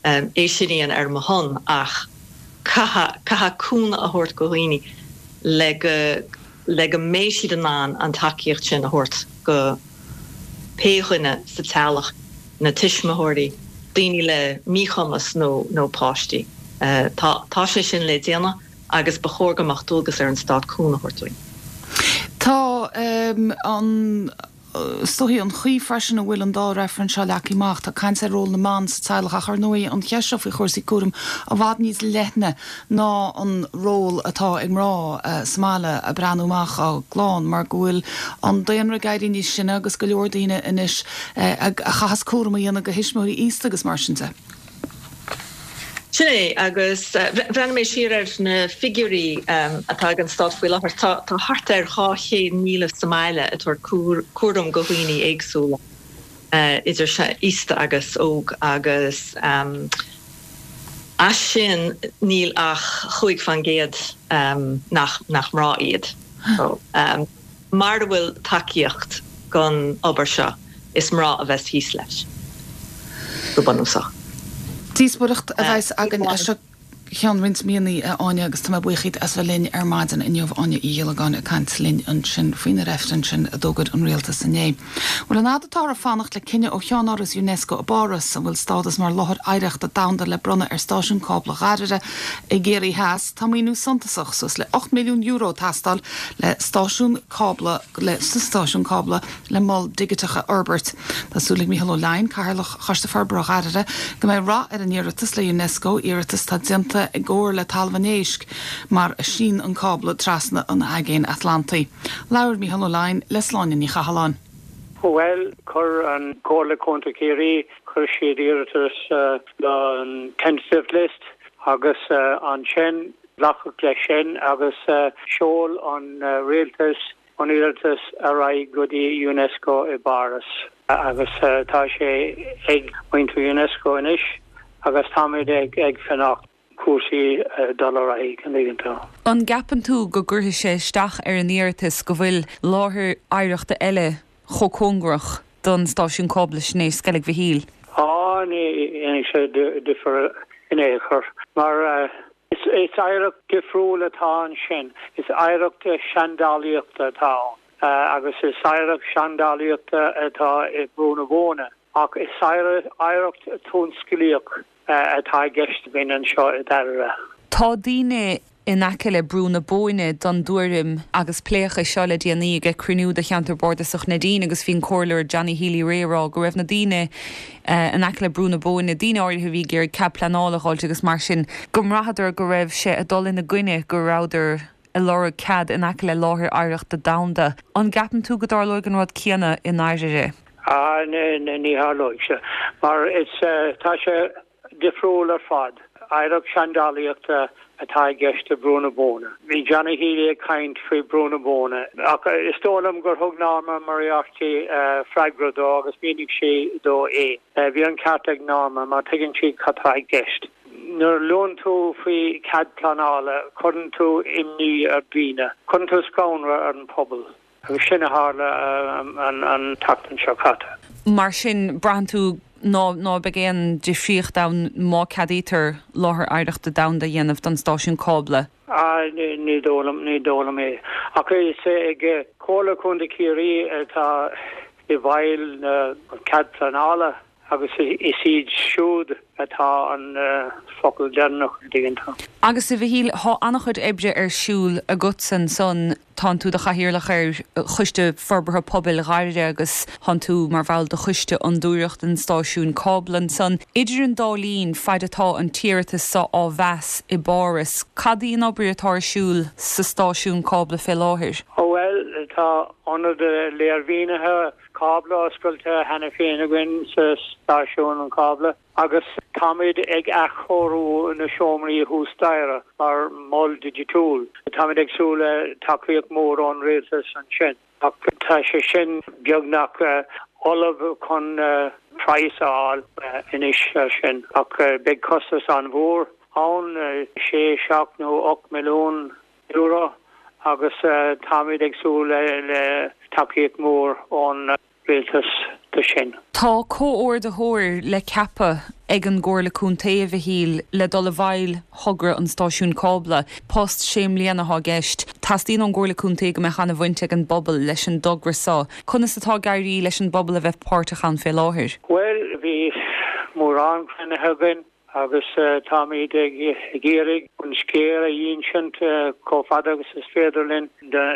é sin a dhéanamh ar mo shon ach caithfidh, caithfidh cúnamh a thabhairt go dhaoine le go, le go mbeidh siad in ann an tacaíocht sin a thabhairt go pé dhuine sa teaghlach, na tuismitheoirí. daoine le míchumas nó nó páistí. Tá tá sé sin le déanamh agus ba chóir go mbeadh dualgas ar an stát cúnamh a thabhairt dúinn. Tá an. Is dóichí an chaoi freisin a bhfuil an dá reifreann seo leagtha amach, tá caint ar ról na mban sa teaghlach ach ar ndóigh an cheist seo faoi chúrsaí cúraim i bhfad níos leithne ná an ról atá ag mná sa mbaile ag breathnú amach dá gclann mar go bhfuil an daonra ag éirí níos sine agus go leor daoine anois a chaitheas cúram a dhéanamh de thuismitheoirí aosta agus mar sin de. Sin é, agus bhreathnaigh mé siar ar na figiúirí atá ag an stát faoi láthair. Tá thart ar 200,000 sa mbaile ag tabhairt cúram go dhaoine éagsúla, idir aosta agus óg, agus as sin níl ach 5% nach mná iad. Mara bhfuil tacaíocht don obair seo, is mná a bheas thíos leis, go bunúsach. Díospóireacht a bheas againn as seo ceann roinnt míonna, a Áine, agus tá mé buíoch díot as bheith linn ar maidin inniu. Áine Uí Ghiollagáin ag caint linn ansin faoi na reifrinn sin a d'fhógair an Rialtas inné. Bhuel, an fhad atáthar ag fanacht le cinneadh ó Cheannáras Unesco i bPáras, an bhfuil stádas mar Láthair Oidhreachta Domhanda le bronnadh ar Stáisiún Cábla Ghairire i gCiarraí Theas, tá maoiniú suntasach, suas le €8 milliún, ag teastáil le stáisiún cábla le stáisiún cábla le mol digiteach a fhorbairt. Tá súil ag Mícheál Ó Leidhin, Cathaoirleach Choiste Forbartha Ghairire, go mbeidh rath ar an iarratas le Unesco, iarratas atá déanta i gcomhar le Talamh an Éisc, mar a shín an cábla trasna an Aigéin Atlantaigh. Labhair Mícheál Ó Leidhin le Sláine Ní Chathalláin. Bhuel, chuir an Comhairle Contae Chiarraí, chuir siad iarratas le tentative list agus ansin Glacadh leis sin agus sheol an rialtas an iarratas ar aghaidh go dtí Unesco i bPáras agus tá sé ag muintir Unesco anois agus táimid ag fanacht cúrsaí dul ar aghaidh, an dtuigeann tú. An gceapann tú go gcuirfidh sé isteach ar an iarratas go bhfuil láthair oidhreachta eile chomh cóngarach don stáisiún cábla sin é Sceilg Mhichíl. Á, ní dhéanfaidh sé difear in aon chor, mar is oidhreacht difriúil atá ansin, is oidhreacht seandálaíochta atá ann, agus is oidhreacht seandálaíochta atá i mBrú na Bóinne, ach is oidhreacht tionsclaíoch atá i gceist againn anseo i nDairire. Tá daoine in aice le Brú na Bóinne den dtuairim, agus pléadh é seo le déanaí ag cruinniú de Cheantar Bardasach Neidín agus bhí an Comhairleoir Johnny Healy-Rae ag rá go raibh na daoine in aice le Brú na Bóinne, daoine áirithe a bhí ag iarraidh cead pleanála a dh'fháilt agus mar sin, go mbraitheadar go raibh sé ag dul ina gcoinne, go rabhadar ag lorg cead in aice le láthair oidhreachta domhanda. An gceapann tú go dtarlóidh an rud céanna i nDairire? Ah, ní tharlóidh sé, mar is, tá sé difriúil ar fad. Oidhreacht seandálaíochta atá i gceist i Brú na Bóinne. Bhí Johnny Healy ag caint faoi Brú na Bóinne, ach is dóigh liom gur thug Norma Moriarty freagra dó agus mhínigh sí dó é. Bhí an ceart ag Norma, mar tuigeann sí cad tá i gceist. Nuair a luann tú faoi chead pleanála, cuireann tú imní ar dhaoine, cuireann tú scanradh ar an phobal agus sin a tharla an tseachtain seo caite. Mar sin, braitheann tú ná ná beidh aon difríocht ann má ceadaítear láthair oidhreachta domhanda a dhéanamh don stáisiún cábla? Ah, ní dóigh liom, ní dóigh liom é. Ach is ag Comhairle Contae Chiarraí atá i bhfeighil na cead pleanála. Agus is iad siúd atá an focal deireanach, an dtuigeann tú. Agus a Mhichíl, thá an-chuid oibre ar siúl agatsa ansan, tánn tú do chathaoirleach ar Choiste Forbartha Pobail Ghairire agus thánn tú mar bhall de Choiste Fhondúireacht an Stáisiúin Cábla ansan. Idir an dá linn, faid atá an t-iarratas so á mheas i bPáras, cad í an obair atá ar siúl sa stáisiún cábla fé láthair? Ó bhuel, tá ionad léirmhínithe cábla oscailte cheana féin againn sa stáisiún an cábla agus táimid ag athchóiriú na seomraí thuas staighre mar mhol digitiúil. Táimid ag súil le tacaíocht mhór ón rialtas ansin ach tá sé sin beagnach ullamh chun praghas a fháil anois air sin ach beidh costas an-mhór ann, sé, 7 nó 8 milliún. euro agus táimid ag súil le tacaíocht mhór ón rialtas do sin. Tá comhordaitheoir le ceapadh ag an gComhairle Contae, a Mhichíl, le dul i bhfeighil thogra an stáisiúin cábla. Post sé mbliana atá i gceist. Teastaíonn ón gComhairle Contae go mbeadh an-bhaint ag an bpobal leis an dtogra seo. Conas atá ag éirí leis an bpobal a bheith páirteach ann fé láthair? Bhuel, bhí. mórán cruinnithe againn agus táimid ag iarraidh an scéal a insint chomh fada agus is féidir linn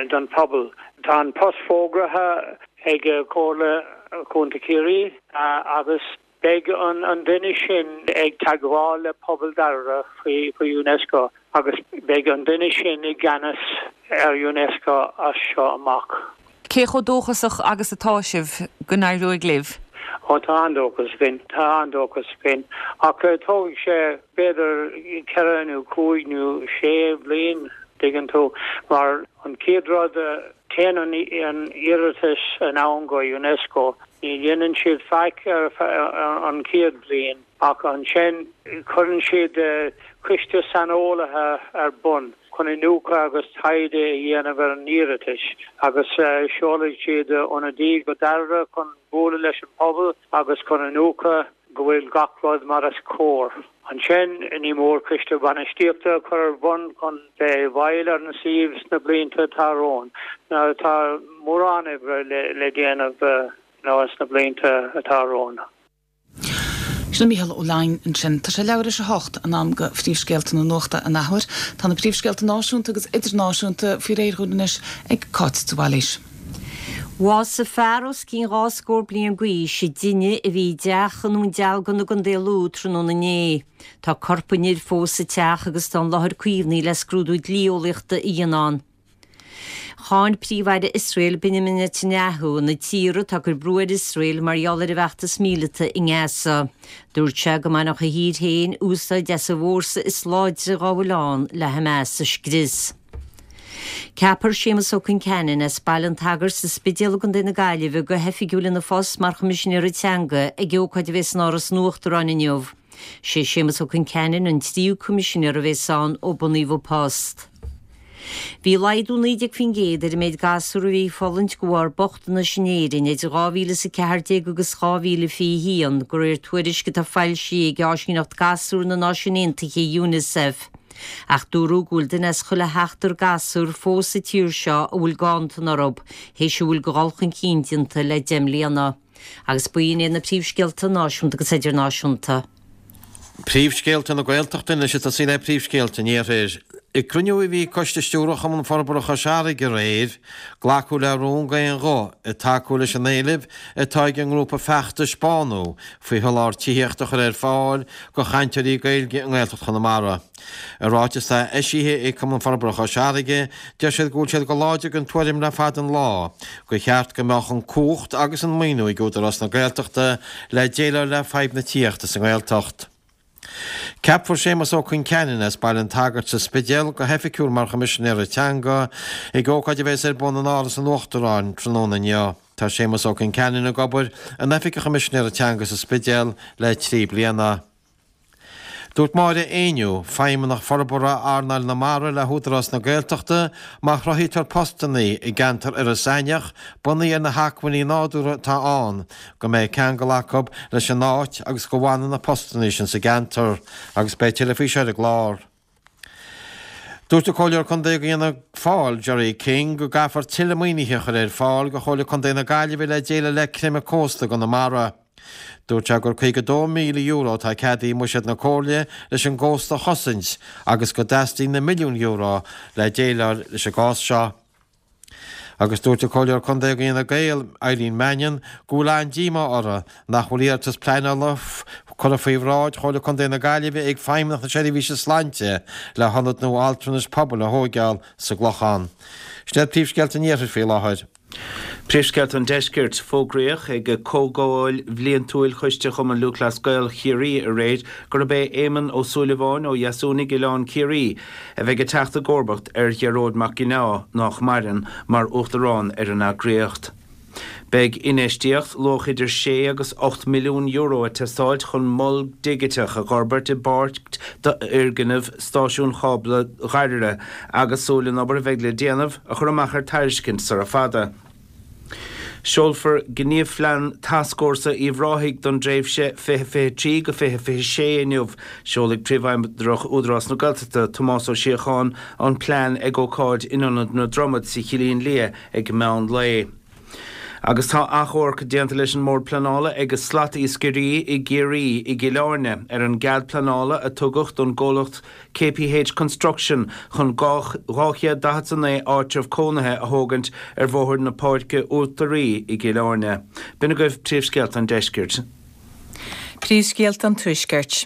don phobal. Tá an post fógraithe ag Comhairle Chontae Chiarraí agus Beidh an duine sin ag teagmháil le pobal Dharara faoi Unesco agus beidh an duine sin i gceannas ar Unesco as seo amach. Cé chomh dóchasach agus atá sibh go n-éireoidh libh? Ó tá an-dóchas againn, tá an-dóchas againn. Ach tógfaidh sé b'fhéidir ceithre nó cúig nó sé bhliain, tuigeann tú, mar an chéad rud, téann an iarratas anonn go Unesco Ní dhéanann siad faic ar feadh an chéad bhliain ach ansin cuireann siad coiste saineolaithe ar bun chun iniúchadh agus taighde a dhéanamh ar an iarratas agus seolfaidh siad ionadaí go Dairbhre chun bualadh leis an pobal agus chun iniúchadh go bhfuil gach rud mar is cóir. Ansin ní mór coiste bainistíochta a chur ar bun chun bheith i bhfeighil ar an suíomh sna blianta atá romhainn. Tá mórán oibre le déanamh sna blianta atá romhainn. Sin Mícheál Ó Leidhin ansin. Tá sé leathuair tar éis a hocht, an am go phríomhscéalta na nuachta an athuair. Tá na príomhscéalta náisiúnta agus idirnáisiúnta faoi réir dhúinn anois ag Cáit de Bhailís. Bhásaigh fear os cionn dhá scór bliain d'aois i dtine a bhí i dteach i nDún Dealgan i gContae Lú tráthnóna inné. Tá corp an fhir fós sa teach agus tá an láthair caomhnaithe le scrúdú dlí-eolaíochta a dhéanamh ann. Cháin Príomh-Aire Iosrael Benjamin Netanyahu na tíortha atá ag cur brú ar Iosrael mar gheall ar a bhfeachtas míleata i nGaza. Dúirt sé go mbainfeadh a thír féin úsáid as an bhfórsa is láidre dá bhfuil ann le Hamas a scrios. Ceapfar Séamus Ó Concheanainn as Baile an tSagairt sa Spidéal i gContae na Gaillimhe go hoifigiúil ina phost mar Choimisinéara Teanga ag ócáid a bheas in Áras an Uachtaráin inniu. Sé Séamus Ó Concheanainn an tríú Coimisinéir a bheas ann ó bunaíodh an post. Bhí laghdú 19% ar an méid gasúr a bhí ag fulaingt de bharr bochtanais in Éirinn idir 2014 agus 2021, de réir tuairisc atá foilsithe ag Áisíneacht Gasúr na Náisiún Aontaithe, Unicef. Ach dúradh go bhfuil duine as chuile sheachtar gasúr fós sa tír seo a bhfuil ganntan orthu, théis a bhfuil de dhul chun cinn déanta le deich mbliana. Agus b'in iad na príomhscéalta náisiúnta agus idirnáisiúnta. Príomhscéalta na Gaeltachta anois ag tosaí le príomhscéalta an Iarthair. I gcruinniú a bhí ag Coiste Stiúrtha Chumann Forbartha Chois Fharraige aréir, glacadh le rún d'aon ghuth ag tacú leis an éileamh atá ag an ngrúpa feachtais Bánú faoi sholáthar tithíochta a chur ar fáil do chainteoirí Gaeilge i nGaeltacht Chonamara. I ráiteas atá eisithe ag Cumann Forbartha Chois Fharraige, deir siad go bhfuil siad go láidir den tuairim le fada an lá gur cheart go mbeadh an cumhacht agus an maoiniú ag Údarás na Gaeltachta le déileáil le fadhb na tithíochta sa nGaeltacht. Ceapfar Séamus Ó Concheanainn as Baile an tSagairt sa Spidéal go hoifigiúil mar Choimisinéara Teanga ag ócáid a bheas ar bun in Áras an Uachtaráin tráthnóna inniu. Tá Séamus Ó Concheanainn ag obair in Oifig an Choimisinéara Teanga sa Spidéal le 3 bliana. Dúirt Máire Éinniú, Feidhmeannach Forbartha Earnáil na Mara le hÚdarás na Gaeltachta, má chruthaítear postanna i gceantar Iorras Aithneach, bunaithe ar na hacmhainní nádúrtha atá ann, go mbeidh ceangal acu leis an áit agus go bhfanfaidh na postanna sin sa gceantar. Agus beidh tuilleadh faoi seo ar an gclár. Dúirt an Comhairleoir Contae do Fhianna Fáil, Gerry King, go gcaithfear tuilleadh maoinithe a chur ar fáil do Chomhairle Contae na Gaillimhe le déileáil le creimeadh cósta i gConamara. Dúirt sé gur €52,000 atá ceadaithe i mbuiséad na Comhairle leis an gcósta a chosaint agus go dteastaíonn na milliúin euro le déileáil leis an gcás seo. Agus dúirt an Comhairleoir Contae do Fhine Gael, Eileen Mannion, go bhfuil an-díomá uirthi nach bhfuil iarratas pleanála curtha faoi bhráid Chomhairle Contae na Gaillimhe ag Feidhmeannacht na Seirbhíse Sláinte le hionad nua altranais pobail a thóigeáil sa gClochán. Sin iad príomhscéalta an Iarthair faoi láthair. Príomhscéalta an Deiscirt. Fógraíodh ag Comhdháil Bhliantúil Choiste Chumann Lúthchleas Gael Chiarraí aréir gurb é Éamonn Ó Súilleabháin ó Dheasúnaigh Oileán Ciarraí a bheidh ag teacht i gcomharbacht ar Ghearóid Mac Ginneá, nách maireann, mar Uachtarán ar an eagraíocht. Beidh infheistíocht luach idir sé agus €8 milliún ag teastáilt chun mol digiteach a dh'fhorbairt i bpáirt d'fhoirgneamh stáisiún chábla Dhoire agus súil an obair a bheidh le déanamh a chur amach ar tairiscint sara fada. Seolfar Gníomhphlean Tascfhórsa Uíbh Ráthaigh don dtréimhse 2023-2026 inniu. Seolfaidh Príomhfheidhmeannach Údarás na Gaeltachta, Tomás Ó Síocháin, an plean ag ócáid in Ionad na Dromad sa Chillín Liath ag meán lae. Agus tá achomharc déanta leis an mBord Pleanála ag slatiascairí i gCiarraí i gCill Airne ar an gcead pleanála a tugadh don gcomhlacht KPH Construction chun 249 áitreabh cónaithe a thógaint ar Bhóthar na Páirce Uachtaraí i gCill Airne. B'in agaibh príomhscéalta an deiscirt. Príomhscéalta an Tuaiscirt.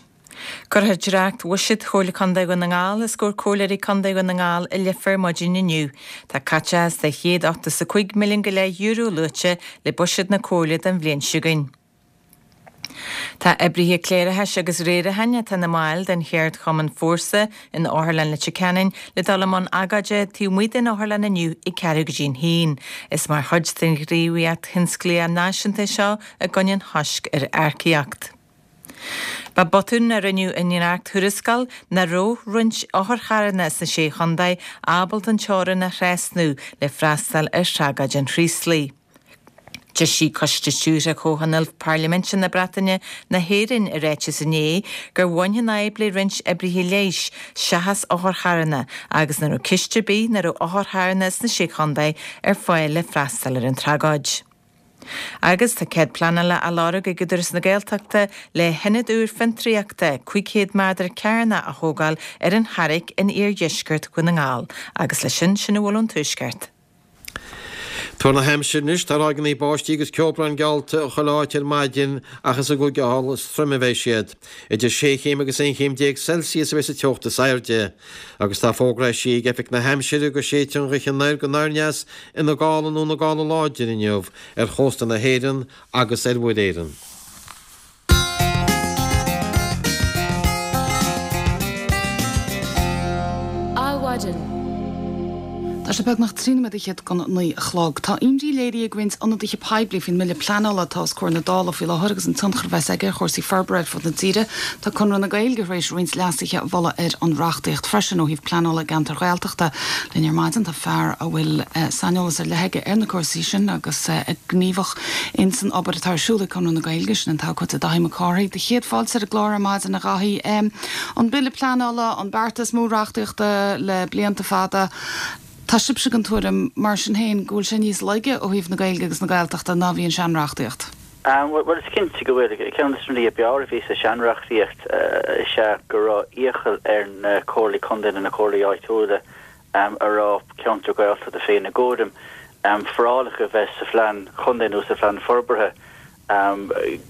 Cuirfear dréacht-bhuiséad Chomhairle Contae Dhún na nGall os comhair Comhairleoirí Contae Dhún na nGall i Leifear maidin inniu. Tá caiteachas de €185 milliún go leith euro luaite le buiséad na Comhairle don bhliain seo chugainn. Tá oibrithe cléireachais agus riaracháin atá ina mbaill den cheardchumann Fórsa in Otharlann Leitir Ceanainn le dul i mbun agóide taobh amuigh den otharlann inniu ag ceathrú go dtí an haon. Is mar chuid den ghníomhaíocht thionsclaíoch náisiúnta é seo i gcoinne an choisc ar earcaíocht. Ba botún a rinneadh i ndréacht-thuarascáil nach raibh roinnt otharcharranna sna Sé Chontae ábalta an teorainn a thrasnú le freastal ar thragóid an Chraoslaigh. D'eisigh Coiste Stiúrtha Chomhthionól Parlaiminte na Breataine na hÉireann i ráiteas inné gur bhain an fhadhb le roinnt oibrithe leighis seachas otharcharranna agus nach raibh ceist ar bith nach raibh otharcharranna sna Sé Chontae ar fáil le freastal ar an tragóid. Agus tá cead pleanála á lorg ag Údarás na Gaeltachta le hionad úr fiontraíochta 500 méadar cearnach a thógáil ar an Charraic in iardheisceart Dhún na nGall. Agus leis sin, sin a bhfuil ón Tuaisceart. Tuar na haimsire anois, tá ráigeanna báistí agus ceobhrán geallta i chuile áit ar maidin ach is i gCúige Uladh is troime a bheidh siad. Idir sé chéim agus 11 chéim Celsius a bheidh sa teocht is airde. Agus tá fógra eisithe ag Oifig na hAimsire go séidfidh an ghaoth anoir go anoir aneas ina gála nó ina gála láidir inniu ar chósta na hÉireann agus ar Mhuir Éireann. Adhmhaidin. Tá sé beagnach 13 nóiméad don 9 a chlog. Tá imní léirithe ag roinnt ionadaithe poiblí faoin mbille pleanála atá os comhair na Dála faoi láthair agus an tionchar a bheas aige ar chúrsaí forbartha ar fud na tíre. Tá Conradh na Gaeilge tar éis roinnt leasuithe a mholadh ar an reachtaíocht freisin ó thaobh pleanála i gceantair Ghaeltachta. Linn ar maidin tá fear a bhfuil saineolas ar leith aige ar na cúrsaí sin agus é gníomhach ins an obair atá ar siúl ag Conradh na Gaeilge, sin an t-abhcóide Daithí Mac Cárthaigh. Do chéad fáilte ar an gclár ar maidin, a Dhaithí. An Bille Pleanála, an beartas mór reachtaíochta le blianta fada, tá sibhse den tuairim, mar sin féin, go bhfuil sé níos laige ó thaobh na Gaeilge agus na Gaeltachta ná a bhí an seanreachtaíocht? Bhuel, is cinnte go bhfuil. Ceann de na rudaí ab fhearr a bhí sa seanreachtaíocht is ea go raibh iachall ar na comhairlí contae nó na comhairlí áitiúla a raibh ceantar Gaeltachta faoina gcúram, forálacha a bheith sa phlean chontae nó sa phlean forbartha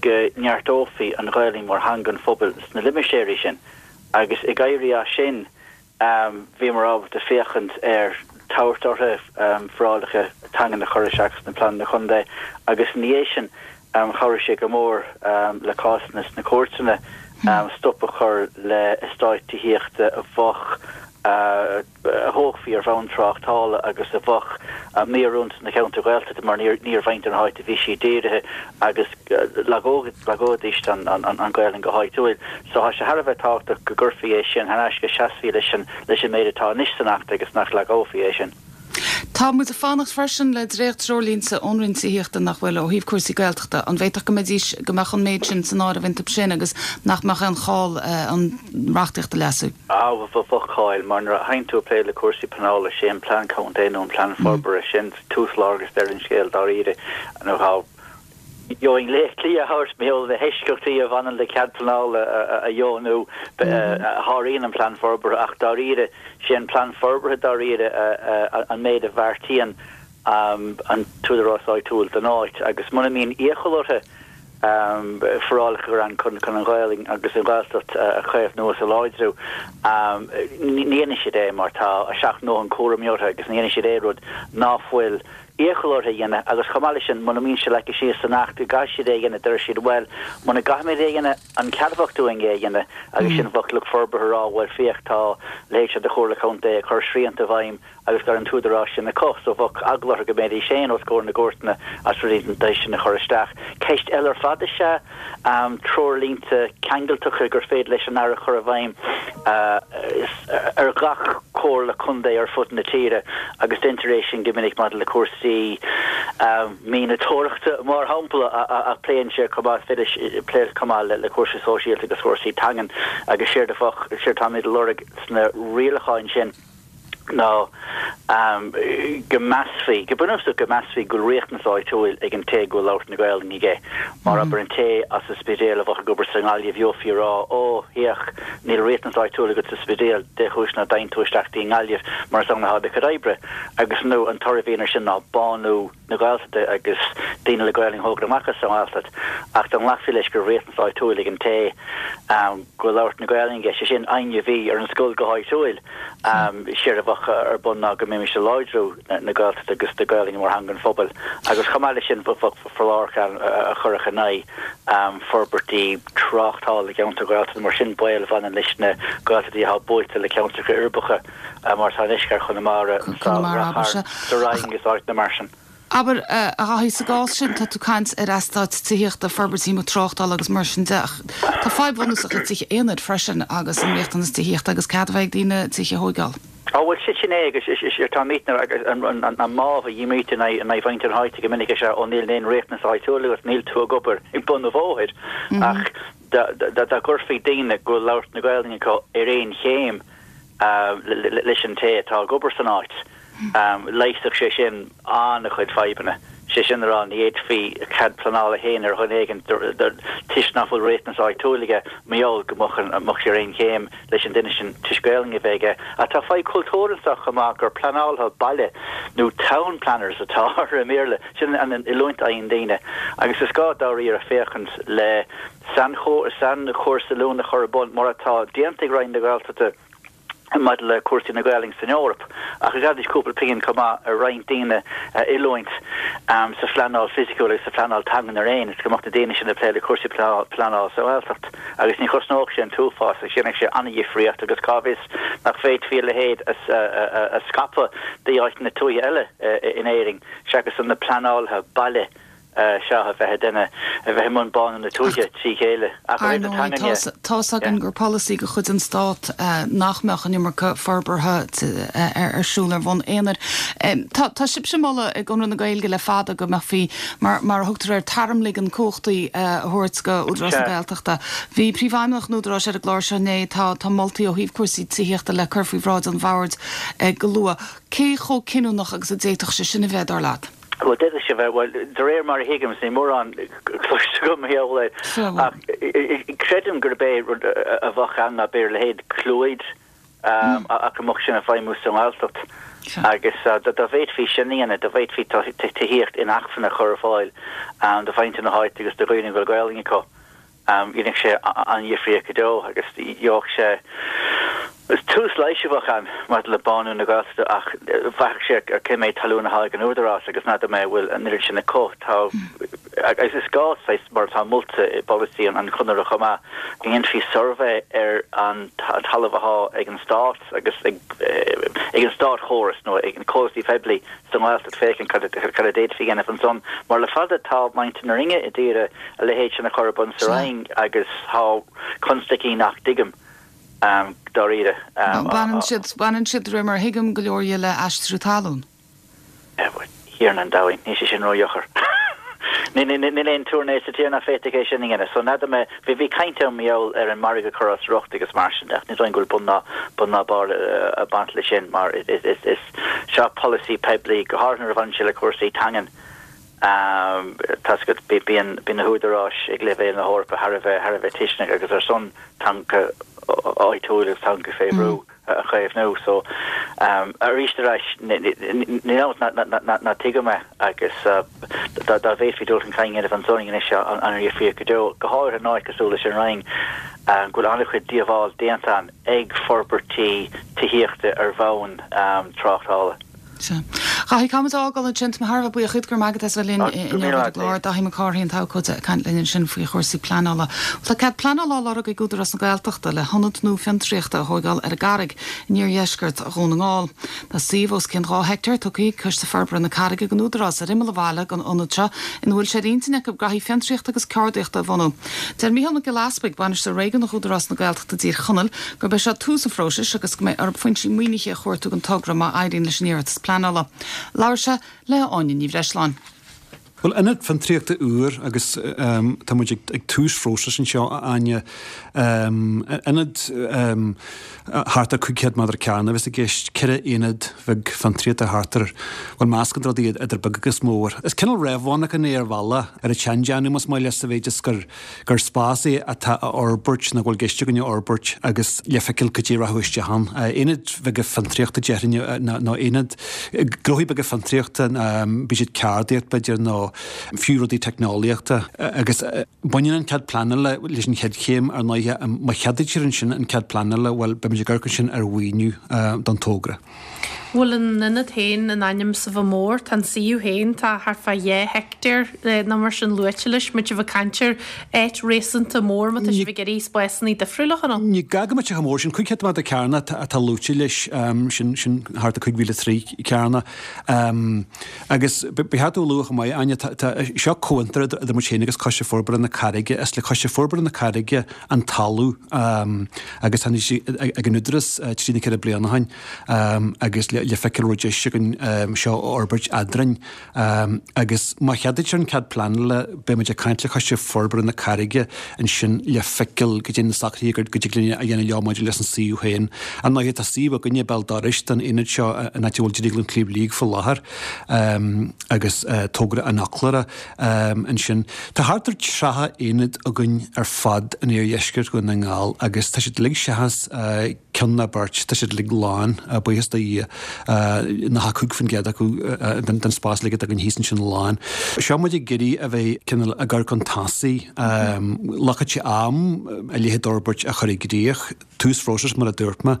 go neartófaí an Ghaelainn mar theanga an phobail sna limistéirí sin. Agus ag éirí as sin, bhíomar ábalta féachaint ar tabhairt orthu forálacha teangan a chur isteach sna pleananna contae agus ina dhiaidh sin chabhraigh sé go mór le cásanna sna cúirteanna stop a chur le eastáit tithíochta a bheadh a thógfaí ar bhonn tráchtála agus a bheadh míoiriúnach sna ceantair Ghaeltachta mar ní ar mhuintir na háite a bhí siad dírithe agus lagóidís an Ghaelainn go háitiúil. So tá sé thar a bheith tábhachtach go gcuirfí é sin thar n-ais, go seasfaí leis an leis an méid atá anois san Acht agus nach lagófaí é sin. Tá muid ag fanacht freisin le dréacht-treoirlínte ón Roinn Tithíochta nach bhfuil, ó thaobh cúrsaí Gaeltachta. An bhféadfadh go mbeidís, go mbeadh an méid sin san áireamh iontu sin agus nach mbeadh aon chall an reachtaíocht a leasú? Á, bheadh call, mar nuair a théann tú ag plé le cúrsaí pleanála, sé an plean contae nó an plean forbartha, sin tús, lár agus deireadh an scéil dáiríre. Nó tá, gheobhainn léacht liath a thabhairt mar gheall ar na heisceachtaí a bhaineann le cead pleanála a dheonú a sháraíonn an plean forbartha ach dáiríre, sé an plean forbartha dáiríre an méid a bheartaíonn an t-údarás áitiúil don áit agus muna mbíonn iachall orthu forálacha a chur ann chun an Ghaelainn agus an Ghaeltacht a chaomhnú is a láidriú, ní dhéanfaidh siad é mar tá a seacht ndóthain cúraimí orthu agus ní dhéanfaidh siad aon rud ná fuil iachall orthu a dhéanamh agus chomh maith leis sin muna mbíonn sé leagtha síos san Acht go gcaithfidh siad é a dhéanamh deir siad bhuel muna gcaithfimid é a dhéanamh an ceadmhach dúinn é a dhéanamh agus sin bheadh lucht forbartha ag rá bhuel féach tá a leithéid seo de Chomhairle Contae ag cur srianta i bhfeidhm agus gan an t-údarás sin acu so bheadh eagla orthu go mbeidís féin os comhair na gcúirteanna as rudaí den tsaghas sin a chur isteach. Ceist eile ar fad is ea treoirlínte ceangailteacha gur féidir leis an Aire a chur i bhfeidhm ar gach comhairle contae ar fud na tíre agus deintear é sin go minic maidir le cúrsaí mianadóireachta mar shampla ach pléann sé chomh maith, is féidir plé chomh maith le cúrsaí sóisialta agus cúrsaí teangan agus séard a bheadh, séard atáimid a lorg sna rialacháin sin. Ná go measfaí, go bunúsach go measfaí go bhfuil riachtanas áitiúil ag an té go bhfuil labhairt na Gaelainne aige. Mar abair an té as an Spidéal a bheadh ag obair sa nGaillimh gheofaí ag rá ó, féach, níl riachtanas áitiúil agat sa Spidéal, dé chúis ná dtéann tú isteach dtí an nGaillimh mar is ann atá do chuid oibre. Agus nó an toradh a bhíonn ar sin ná bánú na Gaeltachta agus daoine le Gaelainn a thógáil amach as an nGaeltacht ach dá nglacfaí leis go raibh riachtanas áitiúil ag an té go bhfuil labhairt na Gaelainne aige, sé sin éinne a bhí ar an scoil go háitiúil, séard a bheadh ar bun ná go mbeimis ag láidriú na Gaeltachta agus na Gaelainne mar theanga an phobail agus chomh maith leis sin bheadh foláireach ann a chuirfeadh in aghaidh forbairtí tráchtála i gceantair Ghaeltachta mar sin baol a bhaineann leis na Gaeltachtaí atá buailte le ceantracha uirbeacha. mar atá i ndeisceart Chonamara, sa Rinn agus áiteanna mar sin. Abair, a Dhaithí, sa gcás sin, tá tú ag caint ar eastáit tithíochta, forbairtí tráchtála agus mar sin de, ach tá fadhb bhunúsach le tithe aonair freisin agus an riachtanas tithíochta agus cead a bheith ag daoine tithe a thóigeáil. Á bhuel, sin é agus tá míteanna an mámh a dhímítear in aghaidh mhuintir na háite go minic is ea ó níl aon riachtanas áitiúil agat, níl tú ag obair ag bun an bhóthair ach dá gcuirfí daoine go bhfuil labhairt na Gaelainne acu ar aon chéim leis an té atá ag obair san áit. Leigheasfadh sé sin an-chuid fadhbanna. Sé sin a rá, ní fhéadfaí cead pleanála a shéanadh ar dhuine éigin toisc nach bhfuil riachtanas áitiúil aige, mar gheall go mbeadh sé ar aon chéim leis an duine sin toisc Gaelainn a bheith aige. Ach tá fadhb cultúir anseo chomh maith gur pleanálaithe baile nó town planners atá orthu i mBéarla. Sin an oiliúint a fhaigheann daoine. Agus is gá dáiríre féachaint le sainchúrsa oiliúna a chur ar bun, mar atá déanta ag Roinn na Gaeltachta maidir le cúrsaí na Gaelainne san Eoraip, ach gheobhaidís cúpla pingin chomh maith ar roinnt daoine a oiliúint sa phleanáil fisiciúil agus sa phleanáil teangan araon, is go mbeadh na daoine sin ag plé le cúrsaí pleanála sa Ghaeltacht. Agus ní chosnódh sé an t-uafás, ach dhéanfadh sé an-dhifríocht agus cá bhfios nach bhféadfaí a leithéid a scaipeadh d'áiteanna tuaithe eile in Éirinn seachas na pleanálaithe baile seo a bheith ag déanamh, a bheith i mbun bánú na tuaithe trí chéile. Ach Ar ndóigh, tá's againn gur polasaí de chuid an Stát nach mbeadh an iomarca forbartha ar siúl ar bhonn aonair. Tá sibhse ag moladh i gConradh na Gaeilge le fada go mbeifí, mar a thugtar air, tarmligean cumhachtaí a thabhairt go Údarás na Gaeltachta. Bhí Príomhfheidhmeannach an Údaráis ar an gclár seo inné. Tá moltaí ó thaobh cúrsaí tithíochta le cur faoi bhráid an bhoird go luath. Cé chomh cinniúnach agus a d'fhéadfadh sé sin a bheith, dar leat? Bhuel, d'fhéadfadh sé bheith, bhuel, de réir mar a thuigim, is níl mórán cloiste agam mar gheall air, ach creidim gurb é rud a bheadh ann ná b'fhéidir a leithéid Clúid, ach go mbeadh sin ag feidhmiú sa nGaeltacht. Agus dá bhféadfaí sin a dhéanamh, dá bhféadfaí tithíocht inacmhainne a chur ar fáil do mhuintir na háite agus do dhaoine a bhfuil Gaelainn acu, Dhéanfadh sé an-dhifríocht go deo agus gheobhadh sé, is tús leighis a bheadh ann maidir le bánú na Gaeltachta ach bhraithfeadh sé ar cé méid talún atá ag an Údarás agus n'fheadar mé an bhfuil an oiread sin acu. Tá, agus is gá, saghas, mar atá molta i bpolasaí an Chonartha chomh maith, go ndéanfaí suirbhé ar an talamh atá ag an Stát agus ag an státchóras nó ag na comhlachtaí poiblí sa nGaeltacht féachaint cad a d'fhéadfaí a dhéanamh ansan mar le fada tá muintir na Rinne ag iarraidh a leithéid sin a chur ar bun sa Rinn agus tá constaicí nach dtuigim dáiríre. Baineann siad, baineann siad, de réir mar a thuigim, go leor dhe le aistriú talún. A Thiarna an domhain, níl sé sin ródheacair. Níl aon túrnae sa tír nach bhféadfadh é sin a dhéanamh. So n'fheadar mé, bhí, bhí caint ann mar gheall ar an margadh a chur as riocht agus mar sin de ach ní dóigh go bhfuil bun ná, bun ná barr ag baint leis sin mar is, is, is, seo polasaí poiblí, go háirithe nuair a bhaineann sé le cúrsaí teangan. Tá's agat, bíonn na húdaráis ag leibhéal na hEorpa thar a bheith, thar a bheith tuisceanach agus ar son teanga áitiúil agus teanga fé bhrú a chaomhnú. So, arís ar ais, níl ann ach ná tuigim é agus dá bhféadfaí dul chun cinn a dhéanamh ansan anois an-difríocht go deo, go háirithe in áit cosúil leis an Rinn, go bhfuil an-chuid díobháil déanta ann ag forbairtí tithíochta ar bhonn tráchtála. Sea. Dhaithí, caithfidh muid a fhágáil ansin. Tá mé thar a bheith buíoch díot, go raibh maith agat as a bheith linn inniu ar an gclár. Daithí Mac Cárthaigh, an t-abhcóide, ag caint linn ansin faoi chúrsaí pleanála. Bhuel, tá cead pleanála á lorg ag Údarás na Gaeltachta le hionad nua fiontraíochta a thóigeáil ar an gCarraig in iardheisceart Dhún na nGall. Tá suíomh os cionn 2 heicteár tugtha ag Coiste Forbartha na Carraige don Údarás ar imeall an bhaile don ionad seo ina bhfuil sé ar intinn acu graithí fiontraíochta agus ceardaíochta a bhunú. Deir Mícheál Mac Giolla Easpaig, Bainisteoir Réigiúnach Údarás na Gaeltachta i dTír Chonaill, gurb é seo tús an phróisis agus go mbeidh orthu foinsí maoinithe a chuartú don togra má éiríonn leis an iarratas pleanála. Labhair sé le hÁine Ní Bhreisleáin. Bhuel, ionad fiontraíochta úr agus tá muid ag tús phróisis anseo, a Áine. Ionad thart ar 500 méadar cearnach a bheas i gceist, 4 aonad bheag fiontraíochta thart ar, bhuel, meascán de rudaí idir beag agus mór. Is cineál réamh-mhonarchan é ar bhealach, ar an tseandéanamh más maith leat, sa mhéid is gur, gur spás é atá á fhorbairt nó go bhfuil i gceist againn a fhorbairt agus le feiceáil cad é a rachadh isteach ann. Aonaid bheaga fiontraíochta déarfainn nó aonaid, gnóthaí beaga fiontraíochta, bíodh siad ceardaíocht b'fhéidir nó fiú rudaí teicneolaíochta. Agus baineann an cead pleanála leis an chéad chéim ar ndóighe. Má cheadaítear ansin an cead pleanála, bhuel beimid ag amharc ansin ar mhaoiniú don togra. Bhfuil an ionad féin in ainm 's a bheith mór, tá an suíomh féin, tá thart fá 2 heictéar nó mar sin luaite leis, muid ag caint ar áit réasúnta mór má tá sibh ag iarraidh spásanna difriúla a chur ann. Ní gá go mbeadh sé chomh mór sin, 500 méadar cearnach atá luaite leis, sin sin thart ar 5,000 troigh cearnach. Agus ba cheart a lua chomh maith, Áine, tá seo comhfhiontar idir muid féin agus Coiste Forbartha na Carraige, is le Coiste Forbartha na Carraige an talamh agus tháinig sé ag an Údarás trí nó 4 bliana ó shin agus le feiceáil raibh deis againn seo a fhorbairt eadrainn. Agus má cheadaítear an cead pleanála beidh muid ag caint le Coiste Forbartha na Carraige ansin le feiceáil goidé na socruithe go dtig linn a dhéanamh leo maidir leis an suíomh féin. Ar ndóigh tá suíomh againne béal dorais don aonad seo an áit a bhfuil Drioglann Shliabh Liag faoi láthair agus togra an Fhoclóra. Ansin, tá thart ar 30 aonad againn ar fad in iardheisceart Dhún na nGall agus tá siad uilig seachas ceann nó beirt, tá siad uilig lán, buíochas do Dhia, 95% acu den spás uilig atá againn thíos ansin lán. Seo muid ag iarraidh a bheith cineál ag amharc chun tosaigh. Glacfaidh sé am a leithéid d'fhorbairt a chur i gcrích, tús phróisis mar a dúirt mé,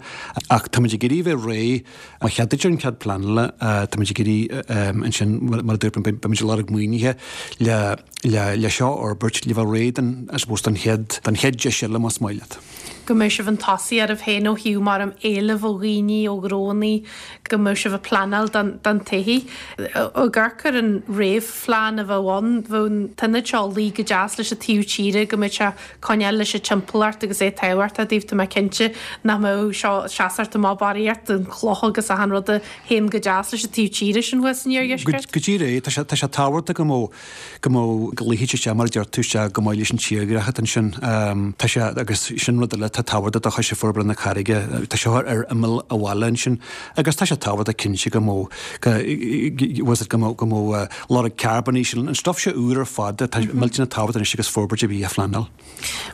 ach tá muid ag iarraidh a bheith réidh Má cheadaítear an cead pleanála, táimid ag iarraidh ansin, mar a dúirt mé, beimid ag lorg maoinithe le le seo a fhorbairt, le bheith réidh don, I suppose, don chéad, don chéad deis eile, más maith leat. Go mbeadh sibh chun tosaigh oraibh féin ó thaobh mar am éileamh ó dhaoine, ó ghnónnaí, go mbeadh sibh ag pleanáil don don todhchaí. Ag amharc ar an réamhphlean a bheadh ann, bheadh an t-ionad seo ag luí go deas leis an taobh tíre, go mbeadh sé coinneáil leis an timpeallacht agus é tábhachtach daoibh, tá mé cinnte nach mbeadh seo ag seasacht amach barraíocht den chloch agus achan rud a théann go deas leis an taobh tíre sin thuas san iardheisceart. Go díreach é, tá sé, tá sé tábhachtach go mbeadh, go mbeadh, go luífeadh sé isteach mar a deir tú, isteach go maith leis an tírdhreach atá ansin. Tá sé, agus sin rud eile atá tábhachtach do Choiste Forbartha na Carraige, tá seo ar imeall an bhaile ansin agus tá sé tábhachtach cinnte go mbeadh, go, bhfuil go mbeadh, go mbeadh lorg carbóin íseal, an stuif seo úr ar fad atá millteanach tábhachtach anois agus forbairt ar bith á phleanáil.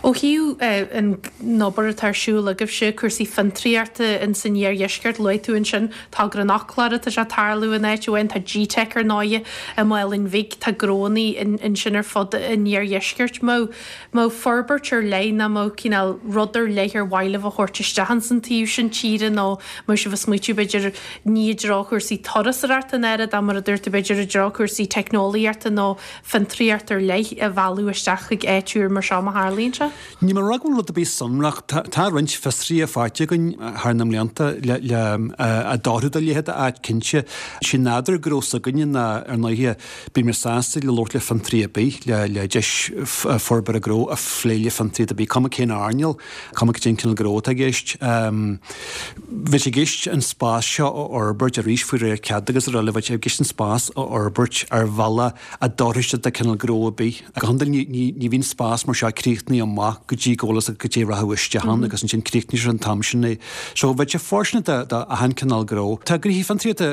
Ó thaobh an obair atá ar siúl agaibhse, cúrsaí fiontraíochta in san iardheisceart, luaigh tú ansin togra an Fhoclóra, tá sé ag tarlú in áit amháin, tá GTeic ar ndóighe i Málainn Bhig, tá gnónnaí ansin ar fud an iardheiscirt. Mbeadh forbairt ar leith nó mbeadh cineál rud ar leith ar mhaith libh a thabhairt isteach ins an taobh sin tíre nó mbeadh sibh ag smaoitiú b'fhéidir ní i dtreo chúrsaí turasóireachta an oiread ach mar a dúirt tú b'fhéidir i dtreo cúrsaí teicneolaíochta nó fiontraíocht ar leith a mhealladh isteach chuig áit úr mar seo má tharlaíonn sé? Níl mé ag rá go bhfuil rud ar bith sonrach. Tá roinnt fiosruithe faighte againn thar na mblianta le le a d'oirfeadh do leithéid d'áit cinnte. Sé nádúr gnó s'againne ná ar ndóighe Bímid sásta le labhairt le fiontraí ar bith, le deis forbartha gnó a phlé le fiontraí ar bith, cuma cén earnáil, cuma cad é an cineál gnó atá i gceist. Bheadh sé i gceist an spás seo a fhorbairt arís faoi réir cead agus araile, bheadh sé i gceist an spás a fhorbairt ar bhealach a d'oirfeadh sé do cineál gnó ar bith. Go hiondúil ní bhíonn spás mar seo críochnaithe amach go dtí go bhfuil fhios agat cad é a rachadh isteach ann agus ansin críochnaítear an t-am sin é. So bheadh sé fóirsteanach do achan cineál gnó. Tá gnoithí fiontraíochta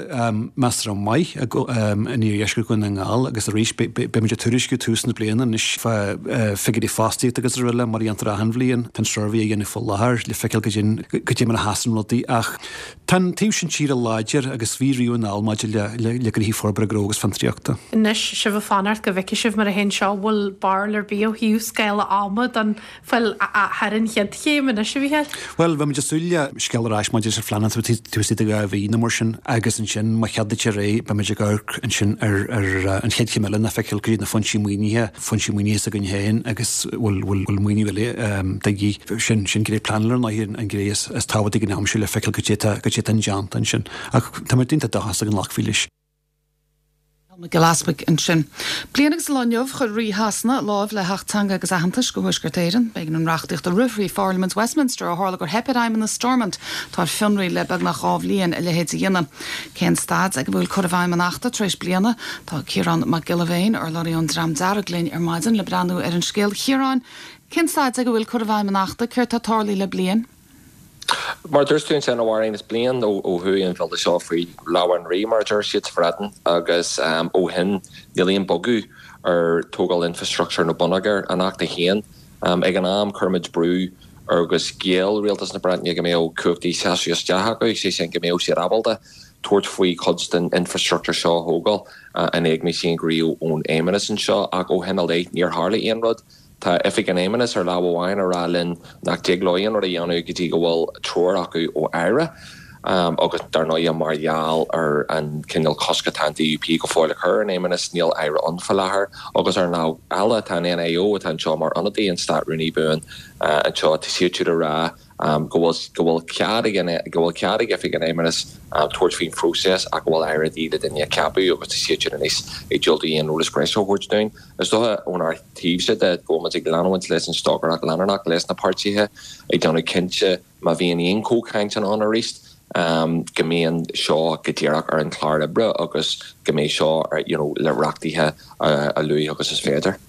measartha maith in iardheisceart Dhún na nGall agus arís beimid ag tuairisciú tús na bliana anois fá figiúirí fostaíochta agus araile mar a dhéantar achan bhliain. Tá an suirbhé á dhéanamh faoi láthair le feiceáil cad é mar a sheasann rudaí ach tá an taobh sin tíre láidir agus bhí riamh anall maidir le gnoithí forbartha gnó agus fiontraíochta. Anois sibh ag fanacht go bhfeicfidh sibh mar a théann seo, bhfuil barúil ar bith ó thaobh scála ama don Bhuel, thar an chéad chéim anois, a Mhícheáil. Bhuel, bheadh muid ag súil le scéal ar ais maidir leis an phleanáil taobh istigh de 2 mhí nó mar sin agus ansin má cheadaítear é, beidh muid ag amharc ansin ar an chéad chéim eile ná feiceáil cad iad na foinsí maoinithe, foinsí maoinithe s'againn féin agus bhfuil bhfuil maoiniú eile de dhíth. Sin sin gné pleanála ar ndóigh an ghné is tábhachtaí ag an am seo le feiceáil cad é atá cad é atá indéanta ansin. Ach tá muid iontach dóchasach go nglacfaí leis. Mac Giolla Easpaig ansin. Bliain agus an lá inniu, chuir Rí Shasana lámh le hAcht Teanga agus Aitheantais do Thuaisceart Éireann. B'éigean an reachtaíocht a rith thrí Pharlaimint Westminster ó tharla gur theip ar fheidhmeannas Stormont, atá ar fionraí le beagnach 2 bhliain, a leithéid a dhéanamh. Cén staid ag a bhfuil cur i bhfeidhm an Achta tar éis bliana? Tá Ciarán Mac Giolla Bhéin, urlabhraí ón Dream Dearg linn ar maidin le breathnú ar an scéal. Chiaráin, cén staid ag a bhfuil cur i bhfeidhm an Achta? Céard tá tarlaithe le bliain? Mar a dúirt tú ansin, a Mháirín, is bliain ó chuaigh an bhille seo faoi lámha an Rí, mar a deir siad sa Bhreatain, agus ó shin níl aon bogadh ar tógáil infreastruchtúir nó bonneagair an Achta féin. Ag an am, chuir muid brú agus gheall Rialtas na Breataine go mbeadh cumhachtaí seasamh isteach acu, sé sin go mbeadh siad ábalta tabhairt faoi chuid den infreastruchtúr seo a thógáil in éagmais aon ghníomh ón Fheidhmeannas anseo, ach ó shin i leith níor tharla aon rud. Tá Oifig an Fheidhmeannais ar lámh amháin ag rá linn nach dtig leo aon rud a dhéanamh go dtí go bhfuil treoir acu ó Aire agus dar ndóigh mar gheall ar an cineál cosc atá an DUP go fóill a chur ar an Fheidhmeannas níl Aire ann faoi láthair agus ar an lámh eile tá an NIO atá anseo mar ionadaí an Stát Rúnaí Buan anseo tá siad siúd ag rá go bhfuil go bhfuil cead ag an go bhfuil cead ag Oifig an Fheidhmeannais tabhairt faoin phróiseas ach go bhfuil Aire de dhíth le duine a cheapadh agus tá siad siúd anois ag diúltú aon eolas breise a thabhairt dúinn. Is dócha ónár dtaobhsa de go bhfuil muid ag leanúint leis an stocaireacht leanúnach leis na páirtithe ag déanamh cinnte má bhíonn aon chomhchaint ann arís go mbíonn seo go díreach ar an chlár oibre agus go mbeidh seo you know le reachtaithe a luaithe agus is féidir.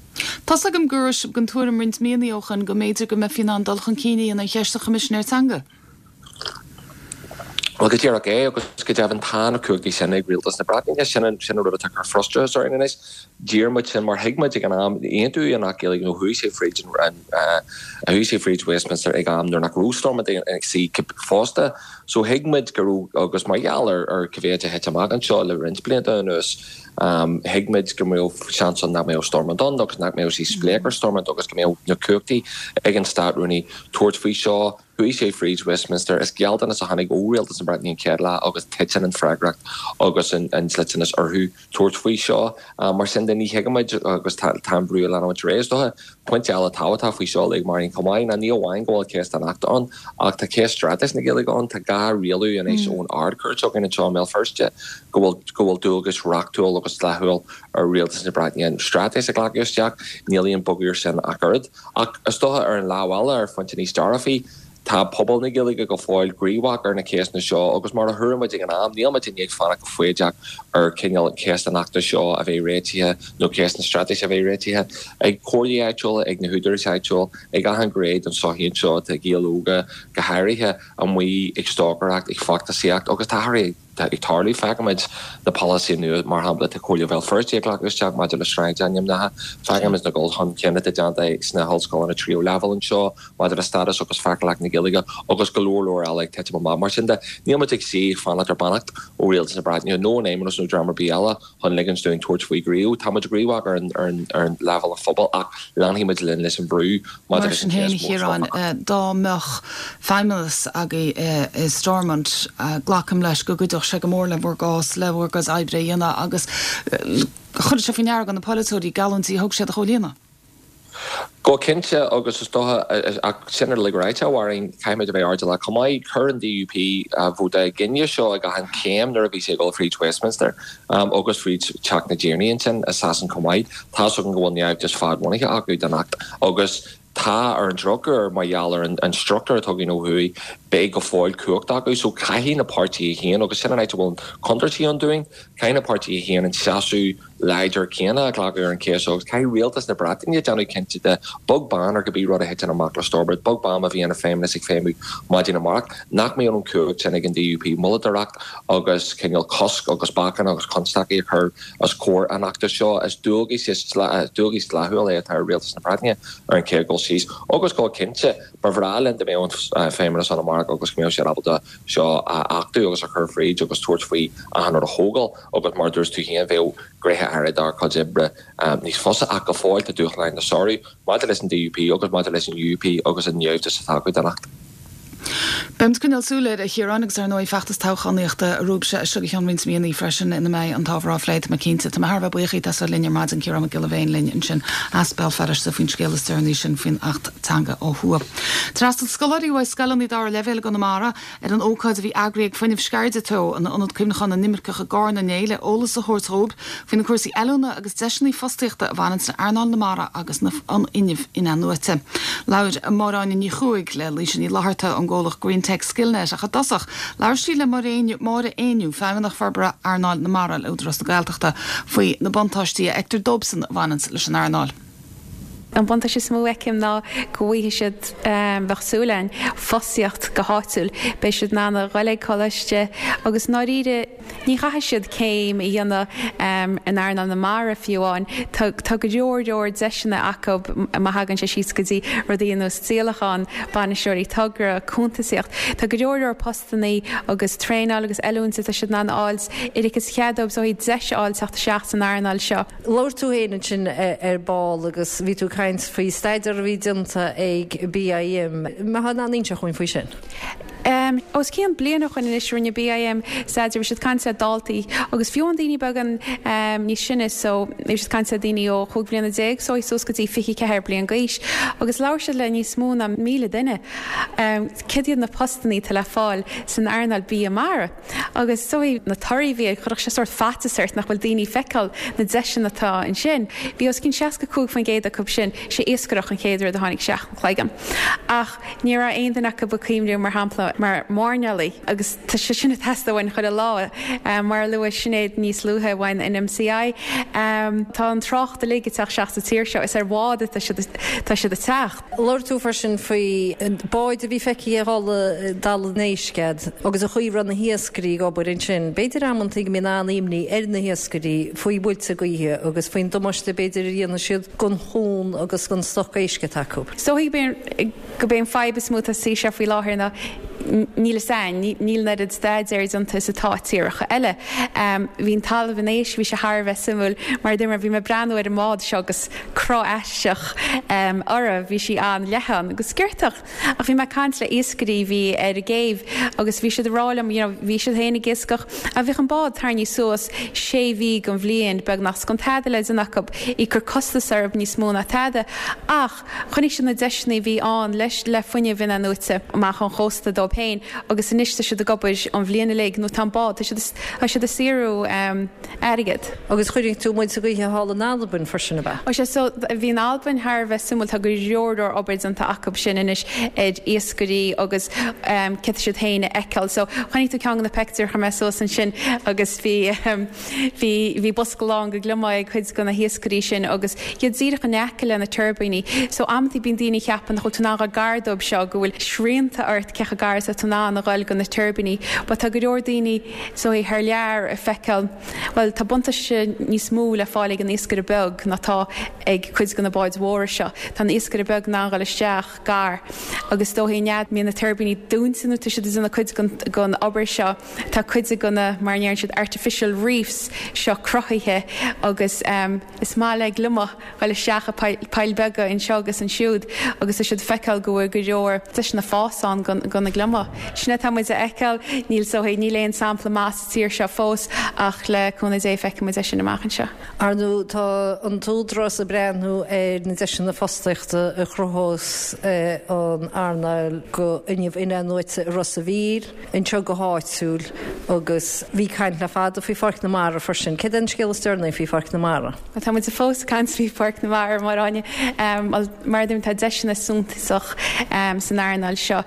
Tá's agam go raibh sibh den tuairim roinnt míonna ó shoin go mb'fhéidir go mbeifí in ann dul chun cinn a dhéanamh ar cheist an Choimisinéir Teanga. Bhuel, go díreach é, agus go deimhin tá na cumhachtaí sin ag Rialtas na Breataine. Sin an sin an rud atá ag cur frustrachas orainn anois. D'iarr muid sin mar thuig muid ag an am, aontaíodh an Acht Gaeilge nó chuaigh sé fríd an chuaigh sé fríd Westminster ag am nuair nach raibh Stormont ag suí fosta. So thuig muid go raibh, agus mar gheall ar ar cá mhéad a thit amach anseo le roinnt blianta anuas, Thuig muid go mbeadh seans ann nach mbeadh Stormont ann agus nach mbeadh sí spléach ar Stormont agus go mbeadh na cumhachtaí ag an Stát-Rúnaí tabhairt faoi seo. Chuaigh sé fríd Westminster. Is gealltanas a tháinig ó Rialtas na Breataine an chéad lá agus titeann an freagracht agus an dliteanas orthu tabhairt faoi seo. Mar sin de ní thuigimid agus tá an brú ag leanúint ar aghaidh. Is dócha pointe eile tábhachtach faoi seo uilig Máirín chomh maith ná ní amháin go bhfuil ceist an Achta ann ach tá ceist straitéis na Gaeilge ann. Tá gá rialú anois ón Ard-Chúirt againn anseo i mBéal Feirste. go bhfuil go bhfuil dualgas reachtúil agus dlíthiúil ar Rialtas na Breataine an straitéis a ghlacadh isteach. Níl aon bogadh ar sin ach oiread. Ach is dócha ar an lámh eile, ar phointe níos dearfaí, tá pobal na Gaeilge go fóill gníomhach ar na ceisteanna seo agus mar a thuar muid ag an am, níl muid i ndiaidh fanacht go foighdeach ar cineál ceist an Achta seo a bheith réitithe nó ceist na straitéise a bheith réitithe ag comhairlí áitiúla, ag na húdaráis áitiúil, ag achan ghné den tsochaí anseo, tá Gaeil óga go háirithe amuigh ag stocaireacht, ag feachtasaíocht agus tá athruithe ag ag tarlú. Feicimid na polasaithe nua, mar shampla, atá Comhairle Bhéal Feirste ag glacadh isteach maidir le sráidainmneacha. Feicimid na dul chun cinn atá déanta sna hollscoileanna tríú leibhéal anseo maidir le stádas agus feiceálacht na Gaeilge agus go leor leor eile ag titim amach. Mar sin de, níl muid ag suí ag fanacht ar beannacht ó Rialtas na Breataine nó an Fheidhmeannas nó dream ar bith eile. chun ligint dúinn tabhairt faoi gníomh. Tá muid gníomhach ar an leibhéal an phobail ach leanfaidh muid linn leis an bhrú maidir Mar leis an sin féin, a cheist mhór seo. Chiaráin, dá mbeadh feidhmeannas agaibh i Stormont, glacaim leis go gcuideodh sé go mór le bhur gcás, le bhur gcuid oibre a dhéanamh agus chuirfeadh sé faoi ndeara do na polaiteoirí geallúintí a thug siad a chomhlíonadh. Go cinnte, agus is dócha, ach sin uilig ráite, a Mháirín, caithfimid a bheith airdeallach chomh maith. Chuir an DUP vóta i gcoinne seo ag achan chéim nuair a bhí sé ag dul fríd Westminster agus fríd Teach na dTiarnaí ansin i Sasain chomh maith. Tá's againn go bhfuil naimhdeas fadbhunaithe acu don Acht agus tá, ar an drochuair, mar gheall ar an struchtúr atá againn ó thuaidh, beidh go fóill cumhacht acu. So caithfidh na páirtithe féin, agus sin an áit a bhfuil contúirtí ann dúinn, caithfidh na páirtithe féin an seasamh láidir céanna a ghlacadh ar an cheist seo agus caithfidh rialtas na Breataine déanamh cinnte de, beag beann ar cibé rud a thiteann amach le Stormont, beag beann má bhíonn an Feidhmeannas ag feidhmiú maidin amárach, nach mbeadh an cumhacht sin ag an DUP moilleadóireacht agus cineál cosc agus bacanna agus constaicí a chur os comhair an Achta seo. Is dualgas dualgas dlíthiúil é atá ar rialtas na Breataine ar an chéad dul síos agus go cinnte ba bhreá linn dá mbeadh an Feidhmeannas ann amárach agus go mbeadh siad ábalta seo a achtú agus a chur fríd agus tabhairt faoi achan rud a thógáil. Agus mar a dúirt tú féin, bheadh gnéithe áirithe dár gcuid oibre níos fusa, ach go fóill tá dúshláin le sárú maidir leis an DUP agus maidir leis an UUP agus an naimhdeas atá acu don Acht. Beimid ag coinneáil súil air, a Chiaráin, agus ar ndóigh feachtas toghchánaíochta romhaibhse as seo go ceann roinnt míonna freisin ina mbeidh an t-ábhar á phlé, tá mé cinnte. Tá mé thar a bheith buíoch díot as a bheith linn ar maidin, Ciarán Mac Giolla Bhéin linn ansin as Béal Feirste faoin scéal is deireanaí sin faoin Acht Teanga ó thuaidh. D'fhreastail scoláirí uaidh scoileanna dara leibhéal i gConamara ar an ócáid a bhí eagraithe ag Fuinneamh Sceirde Teo in Ionad Cuimhneacháin na nImirceach i gCarna inné le eolas a thabhairt dhóibh faoi na cúrsaí oiliúna agus deiseanna fostaíochta a bhaineanns le earnáil na mara agus an fhuinnimh in-athnuaite. Labhair Máire Áine Ní Chuaig le Laoise Ní Fhlatharta ón gcomhlacht Greentech Skillnet ach i dtosach labhair sí le Máire Éinniú, Feidhmeannach Forbartha Earnáil na Mara le Údarás na Gaeltachta, faoi na buntáistí a fheictear dóibhsan a bhaineanns leis an earnáil. An buntáiste is mó a fheicim ná go bhfaighidh siad, bheadh súil againn, fostaíocht go háitiúil. Beidh siad in ann a dhul ag coláiste agus i ndáiríre ní chaithfidh siad céim a dhéanamh in earnáil na mara fiú amháin. Tá tá go leor leor deiseanna acu má thagann sé síos go dtí rudaí ar nós díolachán, bainisteoirí togra, cuntasaíocht. Tá go leor leor postannaí agus traenáil agus oiliúint atá siad in ann a fháil oiread is cead dóibh so deis a fháil teacht isteach san earnáil seo. Labhair tú féin ansin ar ball agus bhí tú ag caint faoi staidéar a bhí déanta ag BIM. Mbeifeá in ann inseacht dhúinn faoi sin? Os cionn bliain ó shoin anois rinne BIM staidéar, bhí siad ag caint le daltaí agus fiú amháin daoine beagán níos sine so bhí siad ag caint le daoine ó chúig bhliana déag so suas go dtí 24 bliain d'aois agus labhair siad le níos mó ná 1,000 duine céard iad na postannaí atá le fáil san earnáil bia mara. Agus is dóigh, na torthaí a bhí air, chuirfeadh sé sórt faitíos ort nach bhfuil daoine ag feiceáil na deiseanna atá ansin. Bhí os cionn 65% acu sin, sé iascaireacht an chéad rud a tháinig isteach an chloigeann. Ach ní raibh aon duine acu ag cuimhniú, mar shampla, mar mhairnéalaigh agus tá sé sin ag teastáil uainn chuile lá. Mar a luaigh Sinéad níos luaithe uainn in MCI, tá an trácht uilig ag teacht isteach sa tír seo, is ar bhád atá siad ag teacht. Labhair tú freisin faoi báid a bhí feicthe ag dul i dTalamh an Éisc agat agus an chaoi a raibh na hiascairí ag obair ansin. B'fhéidir amantaí go mbíonn an-imní ar na hiascairí faoi bhuailte gaoithe agus faoin damáiste b'fhéidir a dhéanfaidh siad don chuan agus don stoc éisc atá acu. Is dóigh gurb é an fadhb is mó atá sa tír seo faoi láthair ná níl fhios a'inn, níl an oiread staidéir déanta is atá i tíortha eile. Bhí an Talamh an Éisc, bhí sé thar a bheith suimiúil mar a dúirt mé, bhí mé ag breathnú ar an mbád seo agus cruth aisteach uirthi, bhí sí an-leathan agus sciortach. Ach bhí mé ag caint le iascairí a bhí ar an gcéibh agus bhí siad ag rá liom, you know, bhí siad féin ag iascach ach bhíodh an bád tarraingthe suas sé mhí den bhliain beagnach, 's gan tada le déanamh acu, ag cur costas orthu níos mó ná tada. Ach chonaic siad na deiseanna a bhí ann leis le fuinneamh in-athnuaite amach ón chósta dóibh féin agus anois tá siad ag obair an bhliain uilig nó tá an bád, tá siad, tá siad ag saothrú airgead. Agus chonaic tú muilte gaoithe thall in Albain freisin, ab ea? Ó sea, so bhí an Albain thar a bheith suimiúil, tá go leor leor obair déanta acu sin anois ar iascairí agus céard tá siad féin a fheiceáil. So chonaic tú ceann de na peictiúir a chuir mé suas ansin agus bhí bhí bhí bosca lán de gliomaigh ag cuid de na hiascairí sin agus iad díreach in aice le na tuirbíní. So amantaí bíonn daoine ag ceapadh nach bhfuil tú in ann a dhul gar dóibh seo, go bhfuil srianta ort cé chomh gar is atá tú in ann a dhul go na tuirbíní. But tá go leor daoine so thar lear ag feiceáil, bhuel, tá buntáiste níos mó le fáil ag an iascaire beag ná tá ag cuid de na báid mhóra seo. Tá an iascaire beag in ann dhul isteach gar agus is dóichí an fhad mbíonn na tuirbíní dúnta nó tá siad ag déanamh cuid den obair seo, tá cuid de na, mar a ndeireann siad, artificial reefs seo cruthaithe agus is maith le gliomach dhul isteach i poill beaga anseo agus ansiúd agus tá siad ag feiceáil go bhfuil go leor deiseanna fás ann do na gliomaigh. Sin atá muid a fheiceáil. Níl so níl aon sampla maith sa tír seo fós ach le cúnamh Dé feicfidh muid é sin amach anseo. Ar ndóigh tá an tÚdarás ag breathnú ar na deiseanna fostaíochta a chruthós an earnáil go fhuinneamh in-athnuaite i Ros a' Mhíl, anseo go háitiúil agus bhí caint le fada faoi Pháirc na Mara freisin. Céard é an scéal is deireanaí faoi Pháirc na Mara? Tá muid fós ag caint faoi Pháirc na Mara, a Mháire Áine. Bhuel, mar a deirim, tá deiseanna suntasach san earnáil seo.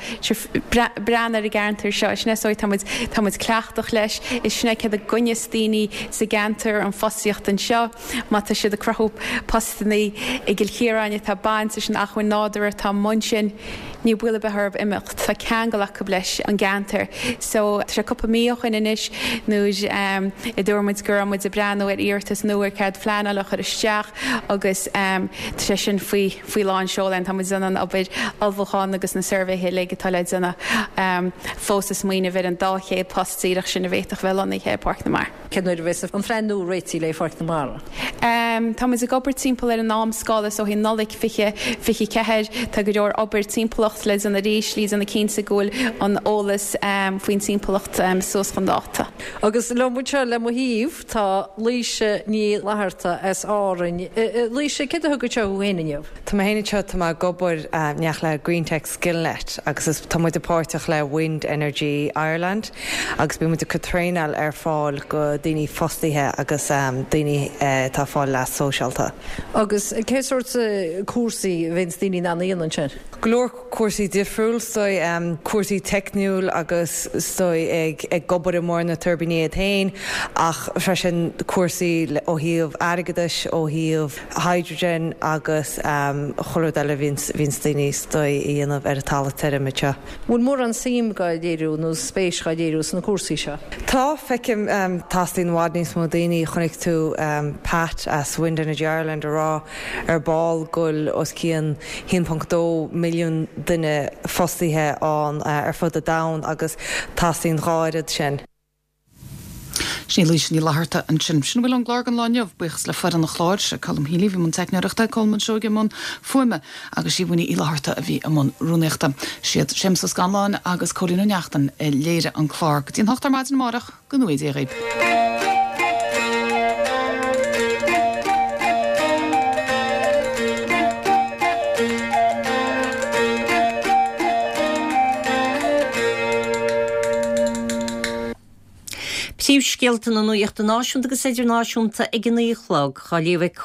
Breathnaigh ar an gceantar seo, sin é is dóigh, tá muid, tá muid cleachtach leis, is sin é céard a gcoinneos daoine sa gceantar, an fostaíocht anseo. Má tá siad ag cruthú postannaí i gCill Chiaráin atá ag baint leis an acmhainn nádúrtha atá amuigh ansin, ní baol ar bith orthu imeacht. Tá ceangal acu leis an gceantar. So, tá sé cúpla mí ó shoin anois nuair a dúirt muid go raibh muid ag breathnú ar iarratas nua ar cead phleanála a chur isteach agus tá sé sin faoi faoi lán seoil. Tá muid ag déanamh an obair ullmhúcháin agus na suirbhéithe uilig atá le déanamh fós ag smaoineamh ar an 200 post díreach sin a bhféadfadh bheith lonnaithe i bPáirc na Mara. Cén uair a bheas an phlean nua réitithe le Pháirc na Mara? Tá muid ag obair timpeall ar an am scála so i Nollaig 2024. Tá go leor obair timpeallachta. monatóireacht le déanamh arís le déanamh cinnte go bhfuil an eolas faoin timpeallacht suas chun dáta. Agus liom anseo le mo thaobh tá Laoise Ní Fhlatharta as Árainn. Laoise, céard a thug anseo thú féin inniu? Tá mé féin anseo, tá mé ag obair in éineacht le Greentech Skillnet agus is, tá muid páirteach le Wind Energy Ireland agus bíonn muid ag cur traenáil ar fáil go daoine fostaithe agus daoine atá ag fáil leas sóisialta. Agus cé sórt cúrsaí a bhíonns daoine in ann a dhéanamh ansin? Go leor cúrsaí difriúil, is dóigh, cúrsaí teicniúil agus is dóigh ag obair amuigh ar na tuirbíní iad féin ach freisin cúrsaí ó thaobh airgeadais, ó thaobh hydrogen agus chuile rud eile a bhíonns daoine is dóigh a dhéanamh ar an talamh tirim anseo. Bhfuil mórán suim dhá léiriú nó spéis dhá léiriú sna cúrsaí seo? Tá, feicim. Teastaíonn i bhfad níos mó daoine. Chonaic tú Pat as Wind Energy Ireland ag rá ar ball go bhfuil os cionn 1.2 milliún duine fostaithe ann ar fud an domhain agus teastaíonn dhá oiread sin. Sin í Laoise Ní Fhlatharta ansin. Sin a bhfuil ón gclár don lá inniu. Buíochas le foireann an chláir, Colm Healy a bhí i mbun teicneoireachta, Colmán Seoige i mbun fuaime agus Siobhán Uí Fhlatharta a bhí i mbun rúnaíochta. Siad Séamus Ó Scanláin agus Cóilín Ó Neachtain a léirigh an clár. Go dtí an hocht ar maidin amárach, go ngnóthaí Dia dhaoibh. Príomhscéalta na nuachta náisiúnta agus idirnáisiúnta ag a 9 a chlog, á léamh ag.